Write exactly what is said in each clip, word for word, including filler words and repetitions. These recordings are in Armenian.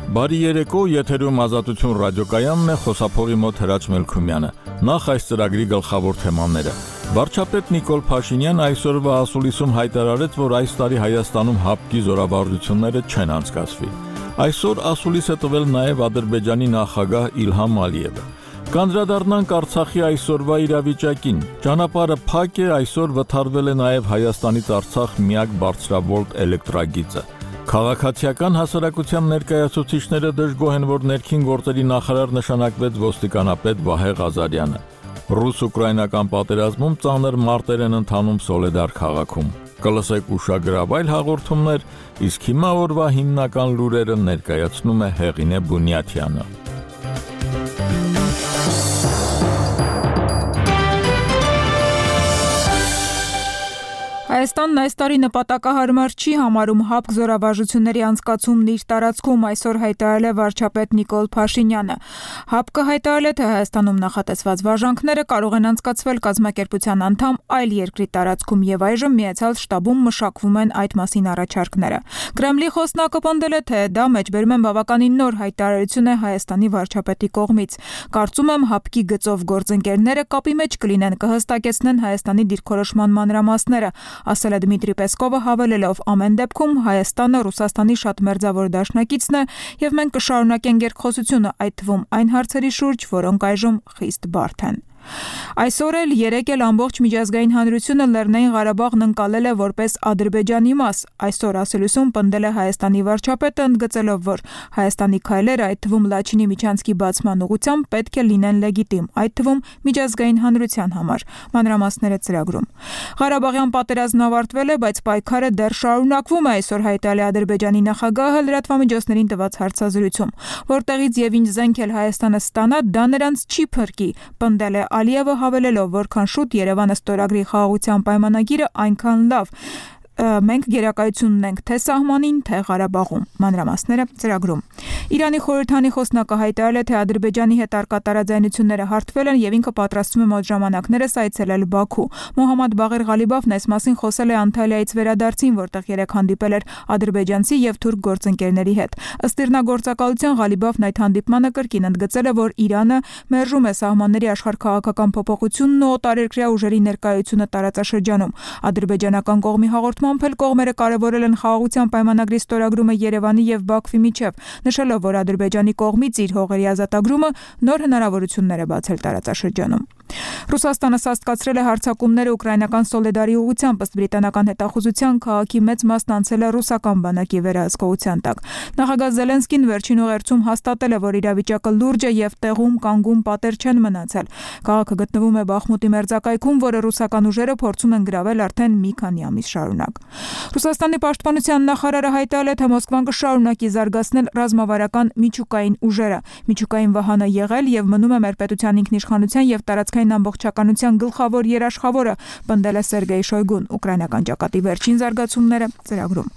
Բարի երեկո, եթերում Ազատություն ռադիոկայանն է, խոսափողի մոտ Հրաչ Մելքումյանը։ Նախ այս ծրագրի գլխավոր թեմաները։ Վարչապետ Նիկոլ Փաշինյանը այսօրվա ասուլիսում հայտարարեց, որ այս տարի Հայաստանում հապկի զորավարժությունները չեն անցկացվի։ Այսօր ասուլիս է տվել նաև Ադրբեջանի նախագահ Իլհամ Ալիևը։ Կանդրադառնանք Արցախի այսօրվա իրավիճակին։ Ճանապարհը փակ է, այսօր վթարվել է նաև Հայաստանից Արցախ միակ բարձրավոլտ էլեկտրագիծը։ Քաղաքացիական հասարակության ներկայացուցիչները դժգոհ են, որ ներքին գործերի նախարար նշանակվեց ոստիկանապետ Վահե Ղազարյանը։ Ռուս-ուկրաինական պատերազմում ծանր մարտեր են ընթանում Սոլեդար քաղաքում։ Կլսեք ուշագրավ այլ հաղորդումներ, իսկ հիմա օրվա հիմնական լուրերը ներկայացնում է Հեղինե Բունյաթյանը։ Հայաստանն այս տարի նպատակահարմար չի համարում հապկ զորավարժությունների անցկացումն իր տարածքում, այսօր հայտարարել է վարչապետ Նիկոլ Փաշինյանը։ ՀԱՊԿ-ը հայտարարել է, թե Հայաստանում նախատեսված վարժանքները կարող են անցկացվել կազմակերպության անդամ այլ երկրի տարածքում եւ այժմ Միացյալ Շտաբում մշակվում են այդ մասին առաջարկները։ Կրեմլի խոսնակը պնդել է, թե դա մեջբերում են բավականին նոր հայտարարություն է Հայաստանի վարչապետի կողմից։ Կարծում եմ ՀԱՊԿ-ի գծով գործընկերները կապի մեջ կլինեն, կհստակեցնեն Հայաստանի դիրքորոշման մանրամասները, ասել է Դմիտրի Պեսկովը, հավելելով, ամեն դեպքում Հայաստանը Ռուսաստանի շատ մերձավոր դաշնակիցն է եւ մենք կշարունակենք երկխոսությունը, այդ թվում այն հարցերի շուրջ, որոնք այժմ խիստ բարդ են։ Այսօր էլ երեկ էլ ամբողջ միջազգային հանրությունը Լեռնային Ղարաբաղն ընկալել է որպես Ադրբեջանի մաս։ Այսօր ասելուսում պնդել է Հայաստանի վարչապետը, ընդգծելով, որ Հայաստանի քայլերը, այդ թվում Լաչինի միջանցքի բացման ուղղությամբ պետք է լինեն լեգիտիմ, այդ թվում միջազգային հանրության համար։ Մանրամասները ծրագրում։ Ղարաբաղյան պատերազմն ավարտվել է, բայց պայքարը դեռ շարունակվում է, այսօր հայտարարել է Ադրբեջանի նախագահը լրատվամիջոցներին տված հարցազրույցում, որտեղից եւ ինչ զենք էլ Հայաստանը ստանա, դա նրանց չի փրկի, պնդել է Ալիևը, հավելելով, որքան շուտ Երևանը ստորագրի խաղաղության պայմանագիրը, այնքան լավ։ Մենք գերակայություն ունենք թե սահմանին, թե Ղարաբաղում։ Մանրամասները ծրագրում։ Իրանի խորհրդանի խոսնակը հայտարարել է, թե Ադրբեջանի հետ առկա տարաձայնությունները հարթվել են եւ ինքը պատրաստվում է մոտ ժամանակներս այցելել Բաքու։ Մոհամմադ Բաղեր Ղալիբաֆն այս մասին խոսել է Անտալիայից վերադարձին, որտեղ երեք հանդիպել էր ադրբեջանցի եւ թուրք գործընկերների հետ։ Ըստ իրնագործակալության Ղալիբաֆն այդ հանդիպմանը կրկին ընդգծել է, որ Իրանը մերժում է սահմանների աշխարհքաղաքական փոփոխությունն ու օտարերկրյա ուժերի ներկայությունը տարածաշրջանում։ Ադրբեջանական կողմի հաղորդման Ամփել կողմերը կարևորել են խաղաղության պայմանագրի ստորագրումը Երևանի եւ Բաքվի միջև, նշելով, որ Ադրբեջանի կողմից իր հողերի ազատագրումը նոր հնարավորություններ է բացել տարածաշրջանում։ Ռուսաստանը սաստկացրել է հարձակումները ուկրաինական Սոլեդարի ուղղությամբ, ըստ բրիտանական հետախուզության քաղաքի մեծ մասն անցել է ռուսական բանակի վերահսկողության տակ։ Նախագահ Զելենսկին վերջին ուղերձում հաստատել է, որ իրավիճակը լուրջ է եւ տեղում կանգուն պատեր չեն մնացել։ Քաղաքը գտնվում է Բախմուտի մերձակայքում, որը ռուսական ուժերը փորձում են գրավել արդեն մի քանի ամիս շարունակ։ Ռուսաստանի պաշտպանության նախարարը հայտարարել է, թե Մոսկվան կշարունակի զարգացնել ռազմավարական միջուկային ուժերը։ Միջուկային վահանը եղել եւ մնում է մեր պետության ինքնիշխանության եւ տարածքային ամբողջականության գլխավոր երաշխավորը, պնդել է Սերգեյ Շոյգուն։ Ուկրաինական ճակատի վերջին զարգացումները ծրագրում։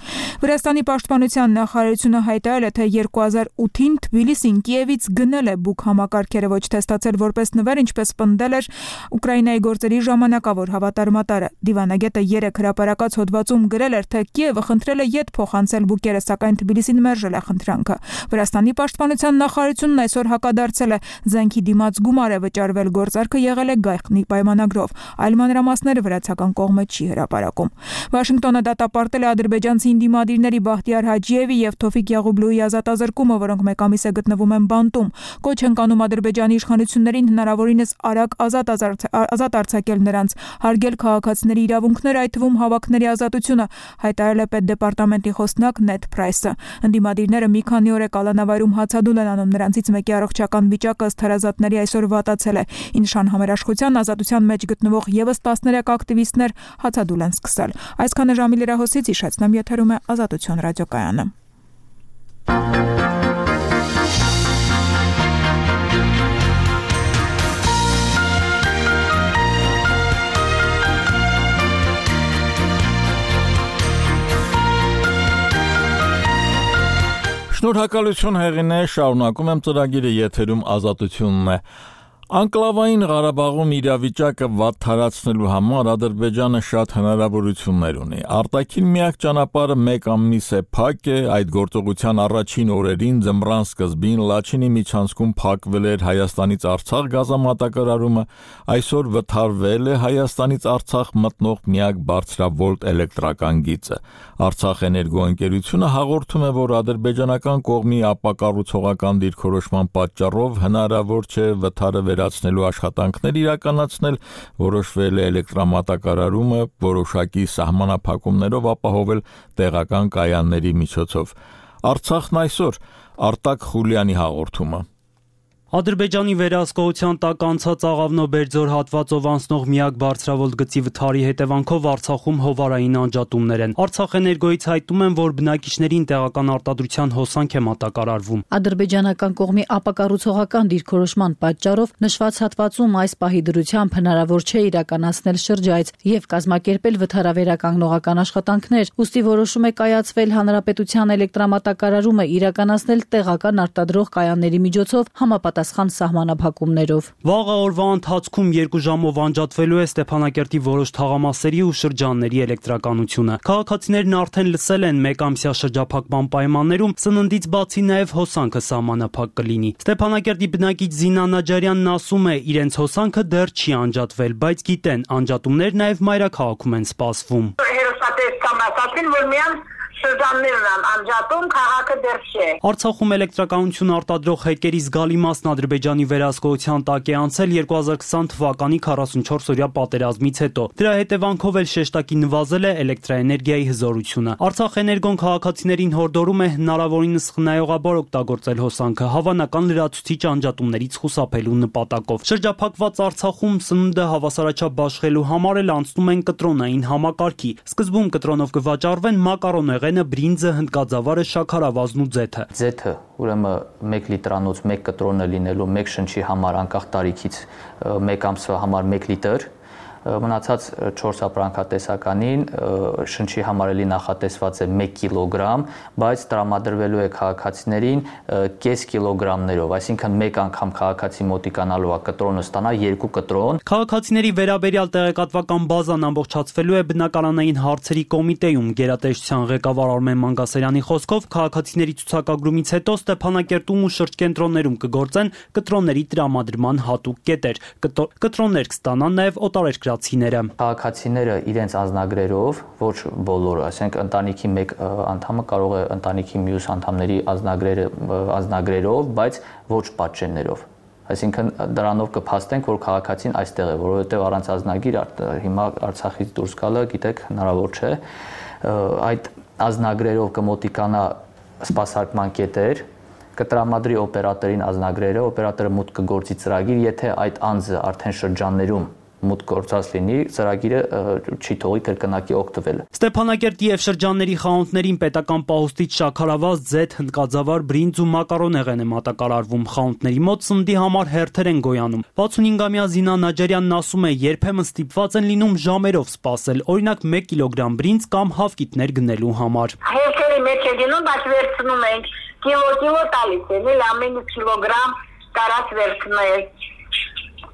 Վրաստանի պաշտպանության նախարարությունը հայտարարել է, թե երկու հազար ութին Թբիլիսին Կիևից գնել է բուկ համակարգերը, ոչ թե ստացել որպես նվեր, ինչպես պնդել էր Ուկրաինայի գործերի ժամանակավոր հավատարմատարը։ Դիվանագետը երեք հրապարակած հոդվածում գրել էր, թե Կիևը խնդրել է յետ փոխանցել բուկերը, սակայն Թբիլիսին մերժել է խնդրանքը։ Վրաստանի պաշտպանության նախարարությունն այսօր հակադարձել է, զենքի դիմաց գումար է վճարվել, գործարքը եղել է գայխնի պայմանագրով։ Այլ մանրամասները վրացական կողմը չի հրապարակում։ Վաշինգտոնը դատապարտել է ադրբեջանցի ինդիմադիրների Բախտիար Հաջիևի եւ Թոֆիկ Յաղուբլուի ազատազրկումը, որոնք մեկ ամիս է գտնվում են բանտում։ Կոչ են կանում ադրբեջանի իշխանություններին հնարավորինս արագ ազատ ազատ արձակել նրանց, հարգել քաղաքացիների իրավունքները, այդ թվում հավաքների ազատությունը, հայտարարել է պետդեպարտամենտի խոսնակ Նեդ Փրայսը։ Ընդդիմադիրները մի քանի օր է կալանավայրում հացադուլ են անում, նրանցից մեկի առողջական վիճակը ըստ հարազատների այսօր վատացել է։ Ինշան համերաշխության ազատության մեջ գտնվող եւս տասներեք ակտիվիստներ հացադուլ են սկսել։ Այսքանը ժամի լրահոսից հիշեցնեմ, եթերում է Ազատություն ռադիոկայանը։ Շնորհակալություն Հեղինե, շարունակում եմ ծրագիրը, եթերում Ազատությունն է։ Անկլավային Ղարաբաղում իրավիճակը վատթարացնելու համար Ադրբեջանը շատ հնարավորություններ ունի։ Արտաքին միակ ճանապարհը մեկ ամիս է փակ է, այդ գործողության առաջին օրերին ձմռան սկզբին Լաչինի միջանցքում փակվել էր Հայաստանից Արցախ գազամատակարարումը, այսօր վթարվել է Հայաստանից Արցախ մտնող միակ բարձրավոլտ էլեկտրական գիծը։ Արցախ էներգո ընկերությունը հաղորդում է, որ ադրբեջանական կողմի ապակառուցողական դիրքորոշման պատճառով հնարավոր չէ վթարը վերացնելու աշխատանքներ իրականացնել, որոշվել է էլեկտրամատակարարումը որոշակի սահմանափակումներով ապահովել տեղական կայանների միջոցով։ Արցախն այսօր, Արտակ Խուլյանի հաղորդումը։ Ադրբեջանի վերահսկողության տակ անցած Աղավնո-Բերձոր հատվածով անցնող միակ բարձրավոլտ գծի վթարի հետևանքով Արցախում հովարային անջատումներ են։ Արցախ էներգոյից հայտնում են, որ բնակիչներին տեղական արտադրության հոսանք է մատակարարվում։ Ադրբեջանական կողմի ապակառուցողական դիրքորոշման պատճառով նշված հատվածում այս պահի դրությամբ հնարավոր չէ իրականացնել շրջայց եւ կազմակերպել վթարավերականգնողական աշխատանքներ, ուստի որոշում է կայացվել հանրապետության էլեկտրամատակարարումը իրականացնել տեղական արտադրող կայանների միջոցով համապատասխան սահմանափակումներով։ Վաղը օրվա ընթացքում երկու ժամով անջատվելու է Ստեփանակերտի որոշ թաղամասերի ու շրջանների էլեկտրականությունը։ Քաղաքացիներն արդեն լսել են մեկ ամսյա շրջափակման պայմաններում սննդից բացի նաև հոսանքը սահմանափակ կլինի։ Ստեփանակերտի բնակիչ Զինա Նաջարյանն ասում է, իրենց հոսանքը դեռ չի անջատվել, բայց գիտեն, անջատումներ նաև մայրաքաղաքում են սպասվում։ Հերոսատեսական ասացին, որ միան շրջաններն են անջատում, քաղաքը դեռ չէ։ Արցախում էլեկտրականություն արտադրող հեկերի զգալի մասն Ադրբեջանի վերահսկողության տակ է անցել երկու հազար քսան թվականի քառասունչորս-օրյա պատերազմից հետո։ Դրա հետևանքով էլ շեշտակի նվազել է էլեկտրաէներգիայի հզորությունը։ Արցախ էներգոն քաղաքացիներին հորդորում է հնարավորինս խնայողաբար օգտագործել հոսանքը, հավանական լրացուցիչ անջատումներից խուսափելու նպատակով։ Շրջափակված Արցախում սնունդը հավասարաչափ բաշխելու համար էլ անցնում են կտրոնային համակարգի։ Սկզբում կտրոնով կվաճառվեն մակարոնեղենը, բրինձը, հնդկաձավարը, շաքարավազն ու ձեթը։ Ձեթը, ուրեմն մեկ լիտրանոց մեկ կտրոնը լինելու մեկ շնչի համար անկախ տարիքից մեկ ամսվա համար մեկ լիտր, մնացած չորս ապրանքատեսականին շնչի համար էլի նախատեսված է մեկ կիլոգրամ, բայց տրամադրվելու է քաղաքացիներին կես կիլոգրամներով, այսինքն մեկ անգամ քաղաքացի մոտիկանալու է կտրոնը ստանա երկու կտրոն։ Քաղաքացիների վերաբերյալ տեղեկատվական բազան ամբողջացվելու է բնակարանային հարցերի կոմիտեում։ Գերատեսչության ղեկավար Արմեն Մանգասարյանի խոսքով քաղաքացիների ցուցակագրումից հետո Ստեփանակերտում ու շրջկենտրոններում կգործեն կտրոնների տրամադրման հատուկ կետեր։ Կտրոններ կստանան նաև օտարերկրացիները։ Քաղաքացիները իրենց անձնագրերով, ոչ բոլորը, ասենք ընտանիքի մեկ անդամը կարող է ընտանիքի մյուս անդամների անձնագրերը անձնագրերով, բայց ոչ պատճեններով։ Այսինքն դրանով կփաստենք, որ քաղաքացին այստեղ է, որովհետև առանց անձնագիր հիմա Արցախից դուրս գալը, գիտեք, հնարավոր չէ։ Այդ անձնագրերով կմոտիկանա սպասարկման կետեր, կտրամադրի օպերատորին անձնագրերը, օպերատորը մուտք կգործի ծրագիր, եթե այդ անձը արդեն շրջաններում մուտք գործած լինի, ծրագիրը չի թողի կրկնակի օգտվել։ Ստեփանակերտի եւ շրջանների խանութներին պետական պահոստից շաքարավազ, ձեթ, հնդկաձավար, բրինձ ու մակարոնեղեն է մատակարարվում։ Խանութների մոտ սննդի համար հերթեր են գոյանում։ վաթսունհինգամյա Զինա Նաջարյանն ասում է, երբեմն ստիպված են լինում ժամերով սպասել, օրինակ մեկ կիլոգրամ բրինձ կամ հավկիթներ գնելու համար։ Հերթերի մեջ է լինում, բայց վերցնում ենք կիլո-կիլո տալիս են, էլ ամեն կիլոգրամ կարած վերցնել։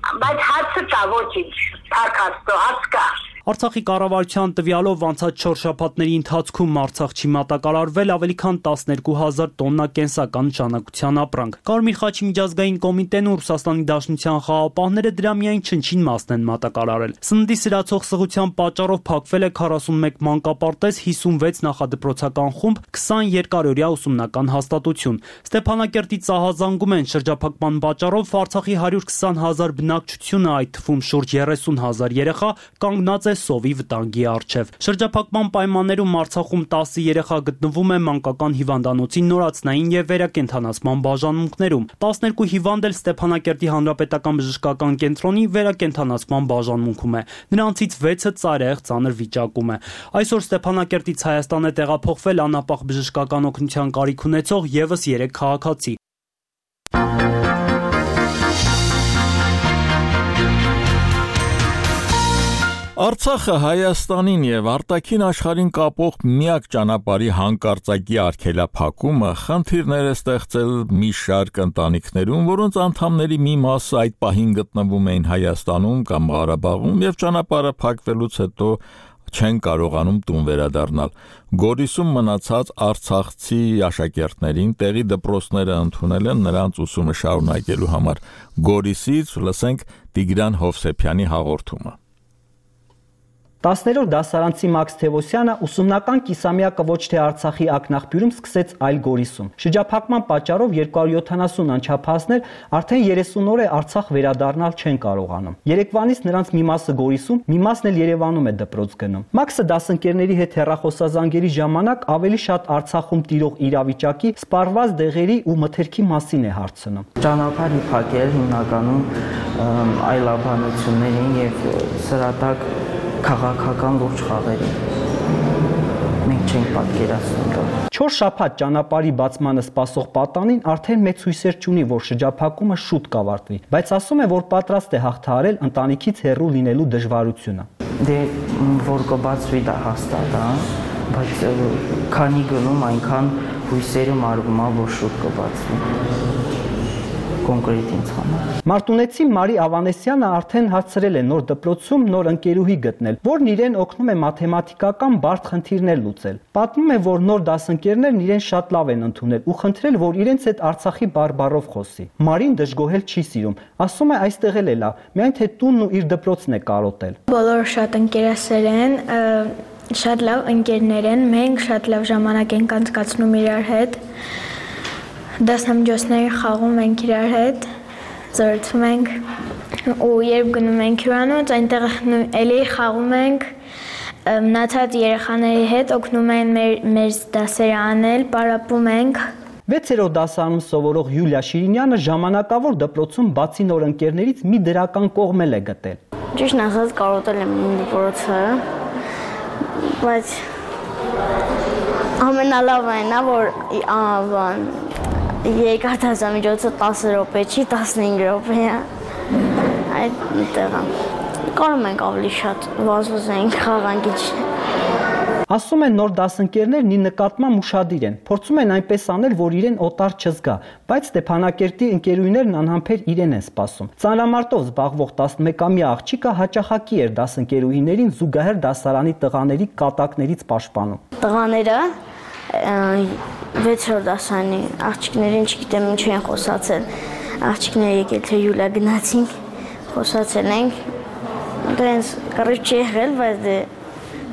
Բայց հացը կա, ոչինչ, թարքաստո, հաց կա։ Արցախի կառավարության տվյալով անցած չորս շաբաթների ընթացքում Արցախში մատակարարվել ավելի քան տասներկու հազար տոննա կենսական նշանակության ապրանք։ Կարմիր խաչի միջազգային կոմիտեն ու Ռուսաստանի Դաշնության խաղապահները դրա միայն չնչին մասն են մատակարարել։ Սննդի սրացող սղության պատճառով փակվել է քառասունմեկ մանկապարտեզ, հիսունվեց նախադպրոցական խումբ, քսան երկարօրյա ուսումնական հաստատություն։ Ստեփանակերտի Ծահազանգում են շրջափակման պատճառով Արցախի հարյուր քսան հազար բնակչությունը, այդ թվում շուրջ երեսուն հազար երեխա, կանգնած է սովի վտանգի առջև։ Շրջափակման պայմաններում Արցախում տասը երեխա գտնվում է մանկական հիվանդանոցի նորացնային եւ վերակենդանացման բաժանմունքներում։ տասներկու հիվանդ էլ Ստեփանակերտի հանրապետական բժշկական կենտրոնի վերակենդանացման բաժանմունքում է։ Նրանցից վեցը ծայրահեղ ծանր վիճակում է։ Այսօր Ստեփանակերտից Հայաստան է տեղափոխվել անապահ բժշկական օգնության կարիք ունեցող եւս երեք քաղաքացի։ Արցախը Հայաստանին եւ արտաքին աշխարհին կապող միակ ճանապարհի հանկարծակի արգելափակումը խնդիրներ է ստեղծել մի շարք ընտանիքներում, որոնց անդամների մի մասը այդ պահին գտնվում էին Հայաստանում կամ Ղարաբաղում եւ ճանապարհը փակվելուց հետո չեն կարողանում տուն վերադառնալ։ Գորիսում մնացած արցախցի աշակերտներին տեղի դպրոցները ընդունել են նրանց ուսումը շարունակելու համար։ Գորիսից լսենք Տիգրան Հովսեփյանի հաղորդումը։ տասներորդ դասարանցի Մաքս Թևոսյանը ուսումնական կիսամյակը ոչ թե Արցախի ակնաղբյուրում սկսեց, այլ Գորիսում։ Շրջափակման պատճառով երկու հարյուր յոթանասուն անչափահասներ արդեն երեսուն օր է Արցախ վերադառնալ չեն կարողանում։ Երեկվանից նրանց մի մասը Գորիսում, մի մասն էլ Երևանում է դպրոց գնում։ Մաքսը դասընկերների հետ հեռախոսազանգերի ժամանակ ավելի շատ Արցախում տիրող իրավիճակի, սպառված դեղերի ու մթերքի մասին է հարցնում։ Ճանապարհի փակել հիմնականում այլաբանություններին եւ սրատակ քաղաքական լուրջ խաղերի։ Մենք չենք պատկերացնում դա։ Չորս շաբաթ ճանապարհի բացմանը սպասող պատանին արդեն մեծ հույսեր չունի, որ շրջափակումը շուտ կավարտվի, բայց ասում է, որ պատրաստ է հաղթահարել ընտանիքից հեռու լինելու դժվարությունը։ Դե որ կբացվի դա հաստատ, հա, բայց քանի գնում այնքան հույսերը մարվում է, որ շուտ կբացվի։ Կոնկրետ ինձ համար։ Մարտունեցի Մարի Ավանեսյանը արդեն հարցրել է նոր դպրոցում նոր ընկերուհի գտնել, որն իրեն օգնում է մաթեմատիկական բարդ խնդիրներ լուծել։ Պատմում է, որ նոր դասընկերներն իրեն շատ լավ են ընդունել ու խնդրել, որ իրենց հետ Արցախի բարբառով խոսի։ Մարին դժգոհել չի սիրում, ասում է այստեղ էլ է լավ, միայն թե տունն ու իր դպրոցն է կարոտել։ Բոլորը շատ ընկերասեր են, շատ լավ ընկերներ են, մենք շատ լավ ժամանակ ենք անցկացնում իրար հետ։ Դասամիջոցների խաղում ենք իրար հետ, զրուցում ենք ու երբ գնում ենք հյուրանոց, այնտեղ էլի խաղում ենք, մնացած երեխաների հետ օգնում են մեր դասերը անել, պարապում ենք։ Վեցերորդ դասարանում սովորող Յուլիա Շիրինյանը ժամանակավոր դպրոցում բացի նոր ընկերներից մի դրական կողմ է գտել։ Ճիշտն ասած կարոտել եմ դպրոցը, բայց ամենալավն է, որ երկաթազամիջոցը տասը րոպե չի, տասնհինգ րոպե է, այդտեղ կարում ենք ավելի շատ վազվզենք, խաղանք ինչ։ Ասում են նոր դասընկերներն ի նկատմամբ ուշադիր են, փորձում են այնպես անել, որ իրեն օտար չզգա, բայց Ստեփանակերտի ընկերուհիներն անհամբեր իրեն են սպասում։ Ծանրամարտով զբաղվող տասնմեկամյա աղջիկը հաճախակի էր դասընկերուհիներին զուգահեռ դասարանի տղաների կատակներից պաշտպանում։ Տղաները վեցերորդ դասարանի աղջիկներին չգիտեմ ինչ են խոսացել, աղջիկները եկել թե Յուլիա գնացինք, խոսացել ենք, դրանց կռիվ չի եղել, բայց դե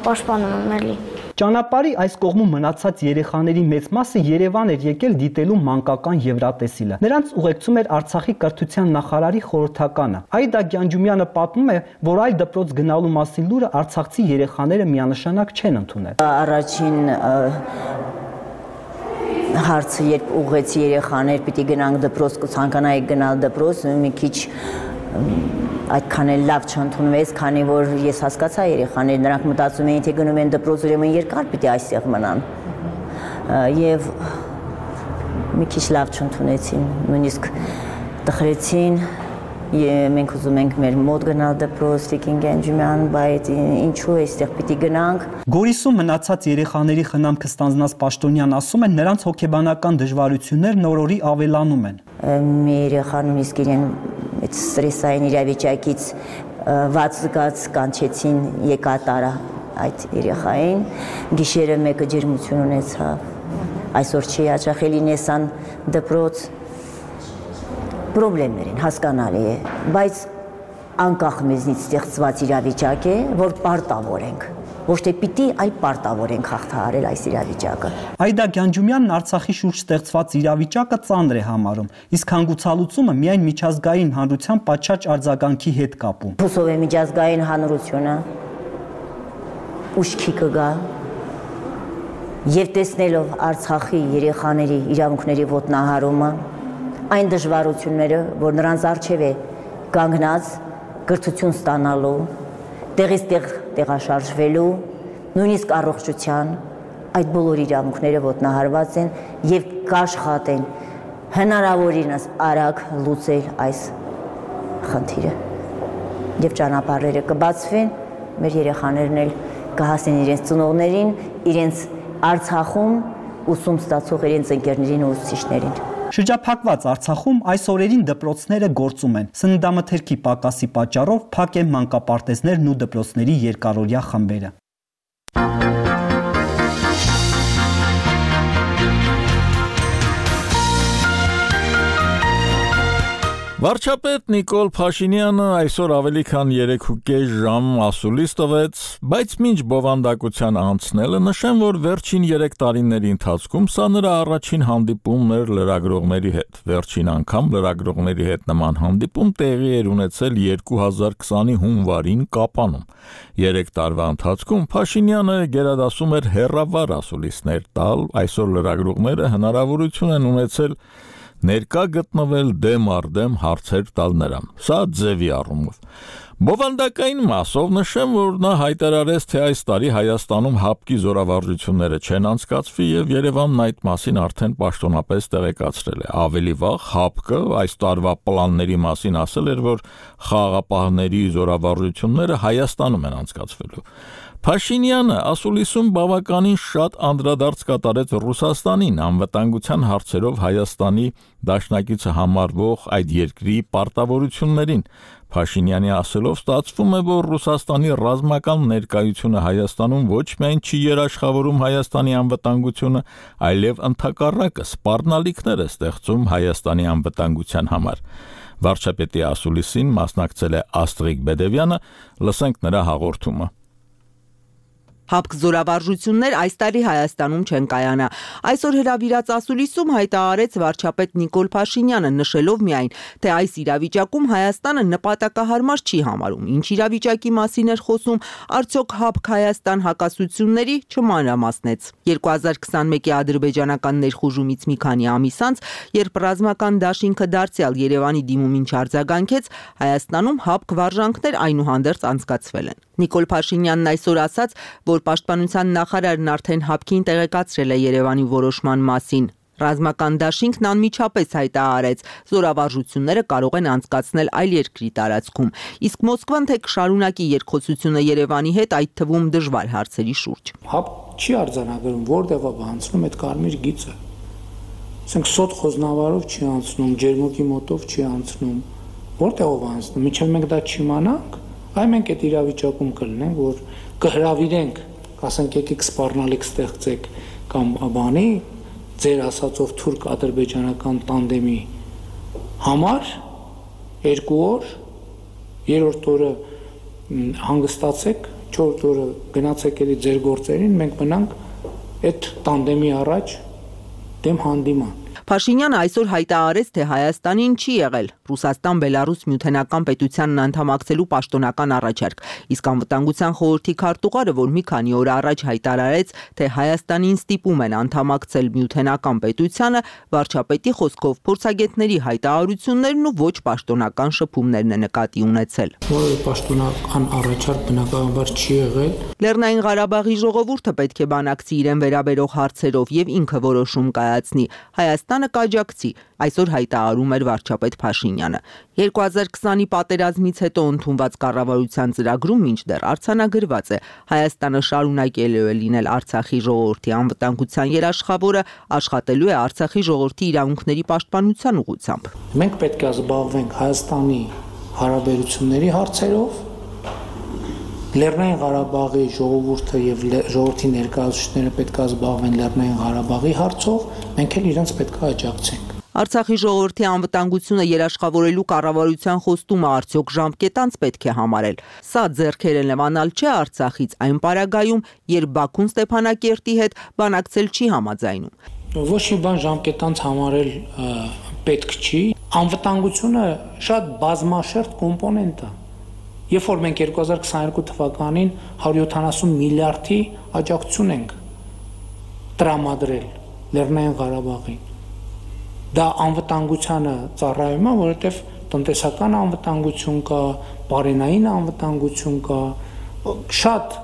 պաշտպանում եմ էլի։ Ճանապարհի այս կողմում մնացած երեխաների մեծ մասը Երևան էր եկել դիտելու մանկական Եվրատեսիլը։ Նրանց ուղեկցում էր Արցախի կրթության նախարարի խորհրդականը։ Այդա Գյանջումյանը պատմում է, որ այլ դպրոց գնալու մասին լուրը արցախցի երեխաները միանշանակ չեն ընդունել։ Առաջին հարցը, երբ ուղղեցի երեխաներ, պիտի գնանք դպրոց, ցանկանայիք գնալ դպրոց, մի քիչ այդքան էլ լավ չընդունվեց, քանի որ ես հասկացա երեխաներ, նրանք մտածում էին, թե գնում են դպրոց, ուրեմն երկար պիտի այստեղ մնան։ Եվ մի քիչ լավ չընդունեցին, նույնիսկ տխրեցին, մենք ուզում ենք մեր մոտ գնալ դպրոց, Տիկին Գյանջումյան, բայց ինչու այստեղ պիտի գնանք։ Գորիսում մնացած երեխաների խնամքը ստանձնած Պաշտոնյան ասում են, նրանց հոգեբանական դժվարություններն օր-օրի ավելանում են։ Մի երեխան նույնիսկ իրեն այդ ստրեսային իրավիճակից վատ զգաց կանչեցին եկա տարա այդ երեխային, գիշերը մեկը ջերմություն ունեցավ, այսօր չի հաճախելի նեսան դպրոց, պրոբլեմներ են, հասկանալի է, բայց անկախ մեզնից ստեղծված իրավիճակ է, որ պարտավոր ենք, ոչ թե պիտի, այլ պարտավոր ենք հաղթահարել այս իրավիճակը։ Այդա Գյանջումյանն Արցախի շուրջ ստեղծված իրավիճակը ծանր է համարում, իսկ հանգուցալուծումը միայն միջազգային հանրության պատշաճ արձագանքի հետ կապում։ Հուսով է միջազգային հանրությունը ուշքի կգա եւ տեսնելով Արցախի երեխաների իրավունքների ոտնահարումը, այն դժվարությունները, որ նրանց առջև է կանգնած կրթություն ստանալու, տեղից տեղ տեղաշարժվելու, նույնիսկ առողջության, այդ բոլոր իրավունքները ոտնահարված են եւ կաշխատեն հնարավորինս արագ լուծել այս խնդիրը։ Եվ ճանապարհները կբացվեն մեր երեխաներն էլ կհասնեն իրենց ծնողներին, իրենց Արցախում ուսում ստացող իրենց ընկերներին ու ուսուցիչներին։ Շրջափակված Արցախում այս օրերին դպրոցները գործում են։ Սննդամթերքի պակասի պատճառով փակ են մանկապարտեզներն ու դպրոցների երկարօրյա խմբերը։ Վարչապետ Նիկոլ Փաշինյանը այսօր ավելի քան երեք ու կես ժամ ասուլիս տվեց, բայց մինչ բովանդակության անցնելը նշեմ, որ վերջին երեք տարիների ընթացքում սա նրա առաջին հանդիպումն էր լրագրողների հետ։ Վերջին անգամ լրագրողների հետ նման հանդիպում տեղի էր ունեցել երկու հազար քսանի հունվարին Կապանում։ Երեք տարվա ընթացքում Փաշինյանը գերադասում էր հեռավար ասուլիսներ տալ, այսօր լրագրողները հնարավորություն են ունեցել ներկա գտնվել դեմ առ դեմ հարցեր տալ նրան։ Սա ձևի առումով։ Բովանդակային մասով նշեմ, որ նա հայտարարեց, թե այս տարի Հայաստանում հապկի զորավարժությունները չեն անցկացվի եւ Երևանն այդ մասին արդեն պաշտոնապես տեղեկացրել է։ Ավելի վաղ հապկը այս տարվա պլանների մասին ասել էր, որ խաղաղապահների զորավարժությունները Հայաստանում են անցկացվելու։ Փաշինյանը ասուլիսում բավականին շատ անդրադարձ կատարեց Ռուսաստանին, անվտանգության հարցերով Հայաստանի դաշնակիցը համարվող այդ երկրի պարտավորություններին։ Փաշինյանի ասելով ստացվում է, որ Ռուսաստանի ռազմական ներկայությունը Հայաստանում ոչ միայն չի երաշխավորում Հայաստանի անվտանգությունը, այլև ընդհակառակը սպառնալիքներ է ստեղծում Հայաստանի անվտանգության համար։ Վարչապետի ասուլիսին մասնակցել է Աստրիկ Բեդևյանը, լսենք նրա հաղորդումը։ Հապկ զորավարժություններ այս տարի Հայաստանում չեն կայանա։ Այսօր հրավիրած ասուլիսում հայտարարեց վարչապետ Նիկոլ Փաշինյանը, նշելով միայն, թե այս իրավիճակում Հայաստանը նպատակահարմար չի համարում։ Ինչ իրավիճակի մասին էր խոսում, արդյոք հապկ Հայաստան հակասությունների չմանրամասնեց։ երկու հազար քսանմեկի ադրբեջանական ներխուժումից մի քանի ամիս անց, երբ ռազմական դաշինքը դարձյալ Երևանի դիմումին չարձագանքեց, Հայաստանում հապկ վարժանքներ այնուհանդերձ անցկացվել են։ Նիկոլ Փաշինյանն այսօր ասաց, որ պաշտպանության նախարարն արդեն հապկին տեղեկացրել է Երևանի որոշման մասին։ Ռազմական դաշինքն անմիջապես հայտարարեց, զորավարժությունները կարող են անցկացնել այլ երկրի տարածքում, իսկ Մոսկվան թե կշարունակի երկխոսությունը Երևանի հետ, այդ թվում դժվար հարցերի շուրջ։ Հապկ չի արձանագրում, որտեղ է անցնում այդ կարմիր գիծը։ Ասենք սոտ խոզնավարով չի անցնում, ջերմուկի մոտով չի անցնում, որտեղ է անցնում, մինչև մենք դա չիմանանք, այ մենք այդ իրավիճակում կլինենք, որ կհրավիրենք, ասենք եկեք սպառնալիք ստեղծեք կամ բանի ձեր ասածով թուրք-ադրբեջանական տանդեմի համար երկու օր, երրորդ օրը հանգստացեք, չորրորդ օրը գնացեք էլի ձեր գործերին, մենք մնանք այդ տանդեմի առաջ դեմ հանդիման։ Փաշինյանը այսօր հայտարարեց, թե Հայաստանին չի եղել Ռուսաստան-Բելարուս միութենական պետությանն անդամակցելու պաշտոնական առաջարկ, իսկ անվտանգության խորհրդի քարտուղարը, որ մի քանի օր առաջ հայտարարեց, թե Հայաստանին ստիպում են անդամակցել միութենական պետությանը, վարչապետի խոսքով փորձագետների հայտարարություններն ու ոչ պաշտոնական շփումներն է նկատի ունեցել։ Որևէ պաշտոնական առաջարկ բնականաբար չի եղել։ Լեռնային Ղարաբաղի ժողովուրդը պետք է բանակցի իրեն վերաբերող հարցերով եւ ինքը որոշում կայացնի։ Հայաստանը կաջակցի, այսօր հայտարարում էր վարչապետ Փաշինյանը։ երկու հազար քսանի պատերազմից հետո ընդունված կառավարության ծրագրում մինչդեռ արձանագրված է Հայաստանը շարունակելու է լինել Արցախի ժողովրդի անվտանգության երաշխավորը, աշխատելու է Արցախի ժողովրդի իրավունքների պաշտպանության ուղղությամբ։ Մենք պետք է զբաղվենք Հայաստանի հարաբերությունների հարցերով, Լեռնային Ղարաբաղի ժողովուրդը եւ ժողովրդի ներկայացուցիչները պետք է զբաղվեն Լեռնային Ղարաբաղի հարցով, մենք էլ իրենց պետք է աջակցենք։ Արցախի ժողովրդի անվտանգությունը երաշխավորելու կառավարության խոստումը արդյոք ժամկետանց պետք է համարել։ Սա ձեռքերը լվանալ չէ Արցախից այն պարագայում, երբ Բաքուն Ստեփանակերտի հետ բանակցել չի համաձայնում։ Ոչ մի բան ժամկետանց համարել պետք չի։ Անվտանգությունը շատ բազմաշերտ կոմպոնենտ է։ Երբ որ մենք երկու հազար քսաներկու թվականին հարյուր յոթանասուն միլիարդի աջակցություն ենք տրամադրել Լեռնային Ղարաբաղին, դա անվտանգությանը ծառայում է, որովհետև տնտեսական անվտանգություն կա, բարենային անվտանգություն կա, շատ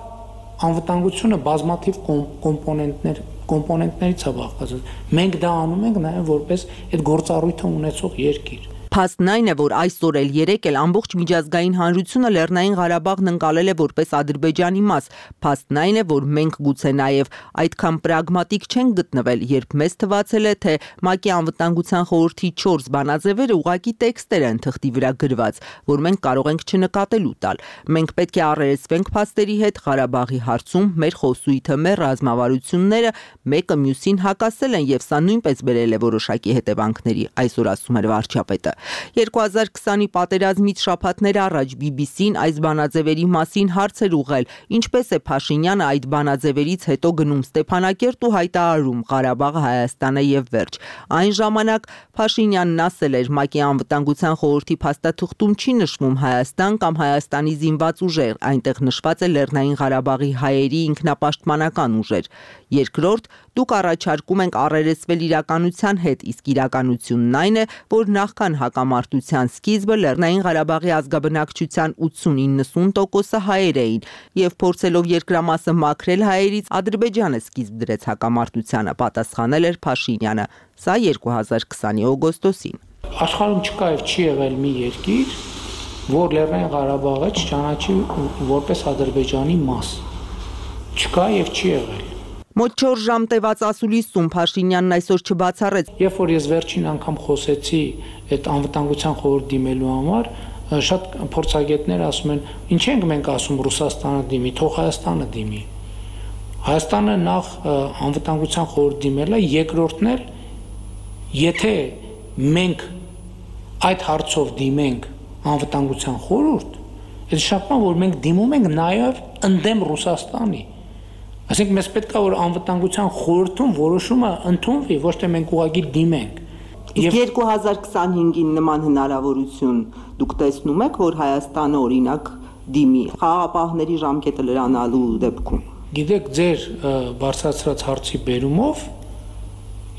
անվտանգությունը բազմաթիվ կոմպոնենտներ կոմպոնենտներից է բաղկացած։ Մենք դա անում ենք նաև որպես այդ գործառույթը ունեցող երկիր։ Փաստն այն է, որ այսօր էլ երեկ էլ ամբողջ միջազգային հանրությունը Լեռնային Ղարաբաղն ընկալել է որպես Ադրբեջանի մաս։ Փաստն այն է, որ մենք գուցե նաև այդքան պրագմատիկ չենք գտնվել, երբ մեզ թվացել է, թե ՄԱԿ-ի անվտանգության խորհրդի չորս բանաձևերը ուղղակի տեքստեր են թղթի վրա գրված, որ մենք կարող ենք չնկատելու տալ։ Մենք պետք է առերեսվենք փաստերի հետ Ղարաբաղի հարցում մեր խոսույթը, մեր ռազմավարությունները մեկը մյուսին հակասել են եւ սա նույնպես բերել է որոշակի հետևանքների, այսօր ասում էր վարչապետը։ երկու հազար քսանի պատերազմից շաբաթներ առաջ բի բի սին այս բանաձևերի մասին հարց էր ուղղել, ինչպես է Փաշինյանը այդ բանաձևերից հետո գնում Ստեփանակերտ ու հայտարարում Ղարաբաղը Հայաստան է եւ վերջ։ Այն ժամանակ Փաշինյանն ասել էր ՄԱԿ-ի անվտանգության խորհրդի փաստաթղթում չի նշվում Հայաստան կամ Հայաստանի զինված ուժեր, այնտեղ նշված է Լեռնային Ղարաբաղի հայերի ինքնապաշտպանական ուժեր։ Երկրորդ, դուք առաջարկում ենք առերեսվել իրականության հետ, իսկ իրականությունն այն է, որ նախքան հակամարտության սկիզբը Լեռնային Ղարաբաղի ազգաբնակչության ութսուն-իննսուն տոկոսը հայեր էին, եւ փորձելով երկրամասը մաքրել հայերից Ադրբեջանը սկիզբ դրեց հակամարտությանը, պատասխանել էր Փաշինյանը։ Սա երկու հազար քսանի օգոստոսին։ Աշխարհում չկա եւ չի եղել մի երկիր, որ Լեռնային Ղարաբաղը չճանաչի որպես Ադրբեջանի մաս։ Չկա եւ չի եղել։ Մոտ չորս ժամ տևած ասուլիսում Փաշինյանն այսօր չբացառեց։ Երբ որ ես վերջին անգամ խոսեցի այդ անվտանգության խորհուրդ դիմելու համար, շատ փորձագետներ ասում են, ինչ ենք մենք ասում Ռուսաստանը դիմի, թող Հայաստանը դիմի։ Հայաստանը նախ անվտանգության խորհուրդ դիմել է, երկրորդն էլ եթե մենք այդ հարցով դիմենք անվտանգության խորհուրդ, այդ շփման որ մենք դիմում ենք նաև ընդդեմ Ռուսաստանի։ Այսինքն մեզ պետք է որ անվտանգության խորհրդում որոշումը ընդունվի, ոչ թե մենք ուղղակի դիմենք։ Եվ երկու հազար քսանհինգին նման հնարավորություն դուք տեսնում եք, որ Հայաստանը օրինակ դիմի խաղաղապահների ժամկետը լրանալու դեպքում։ Գիտեք, ձեր բարձրացրած հարցի բերումով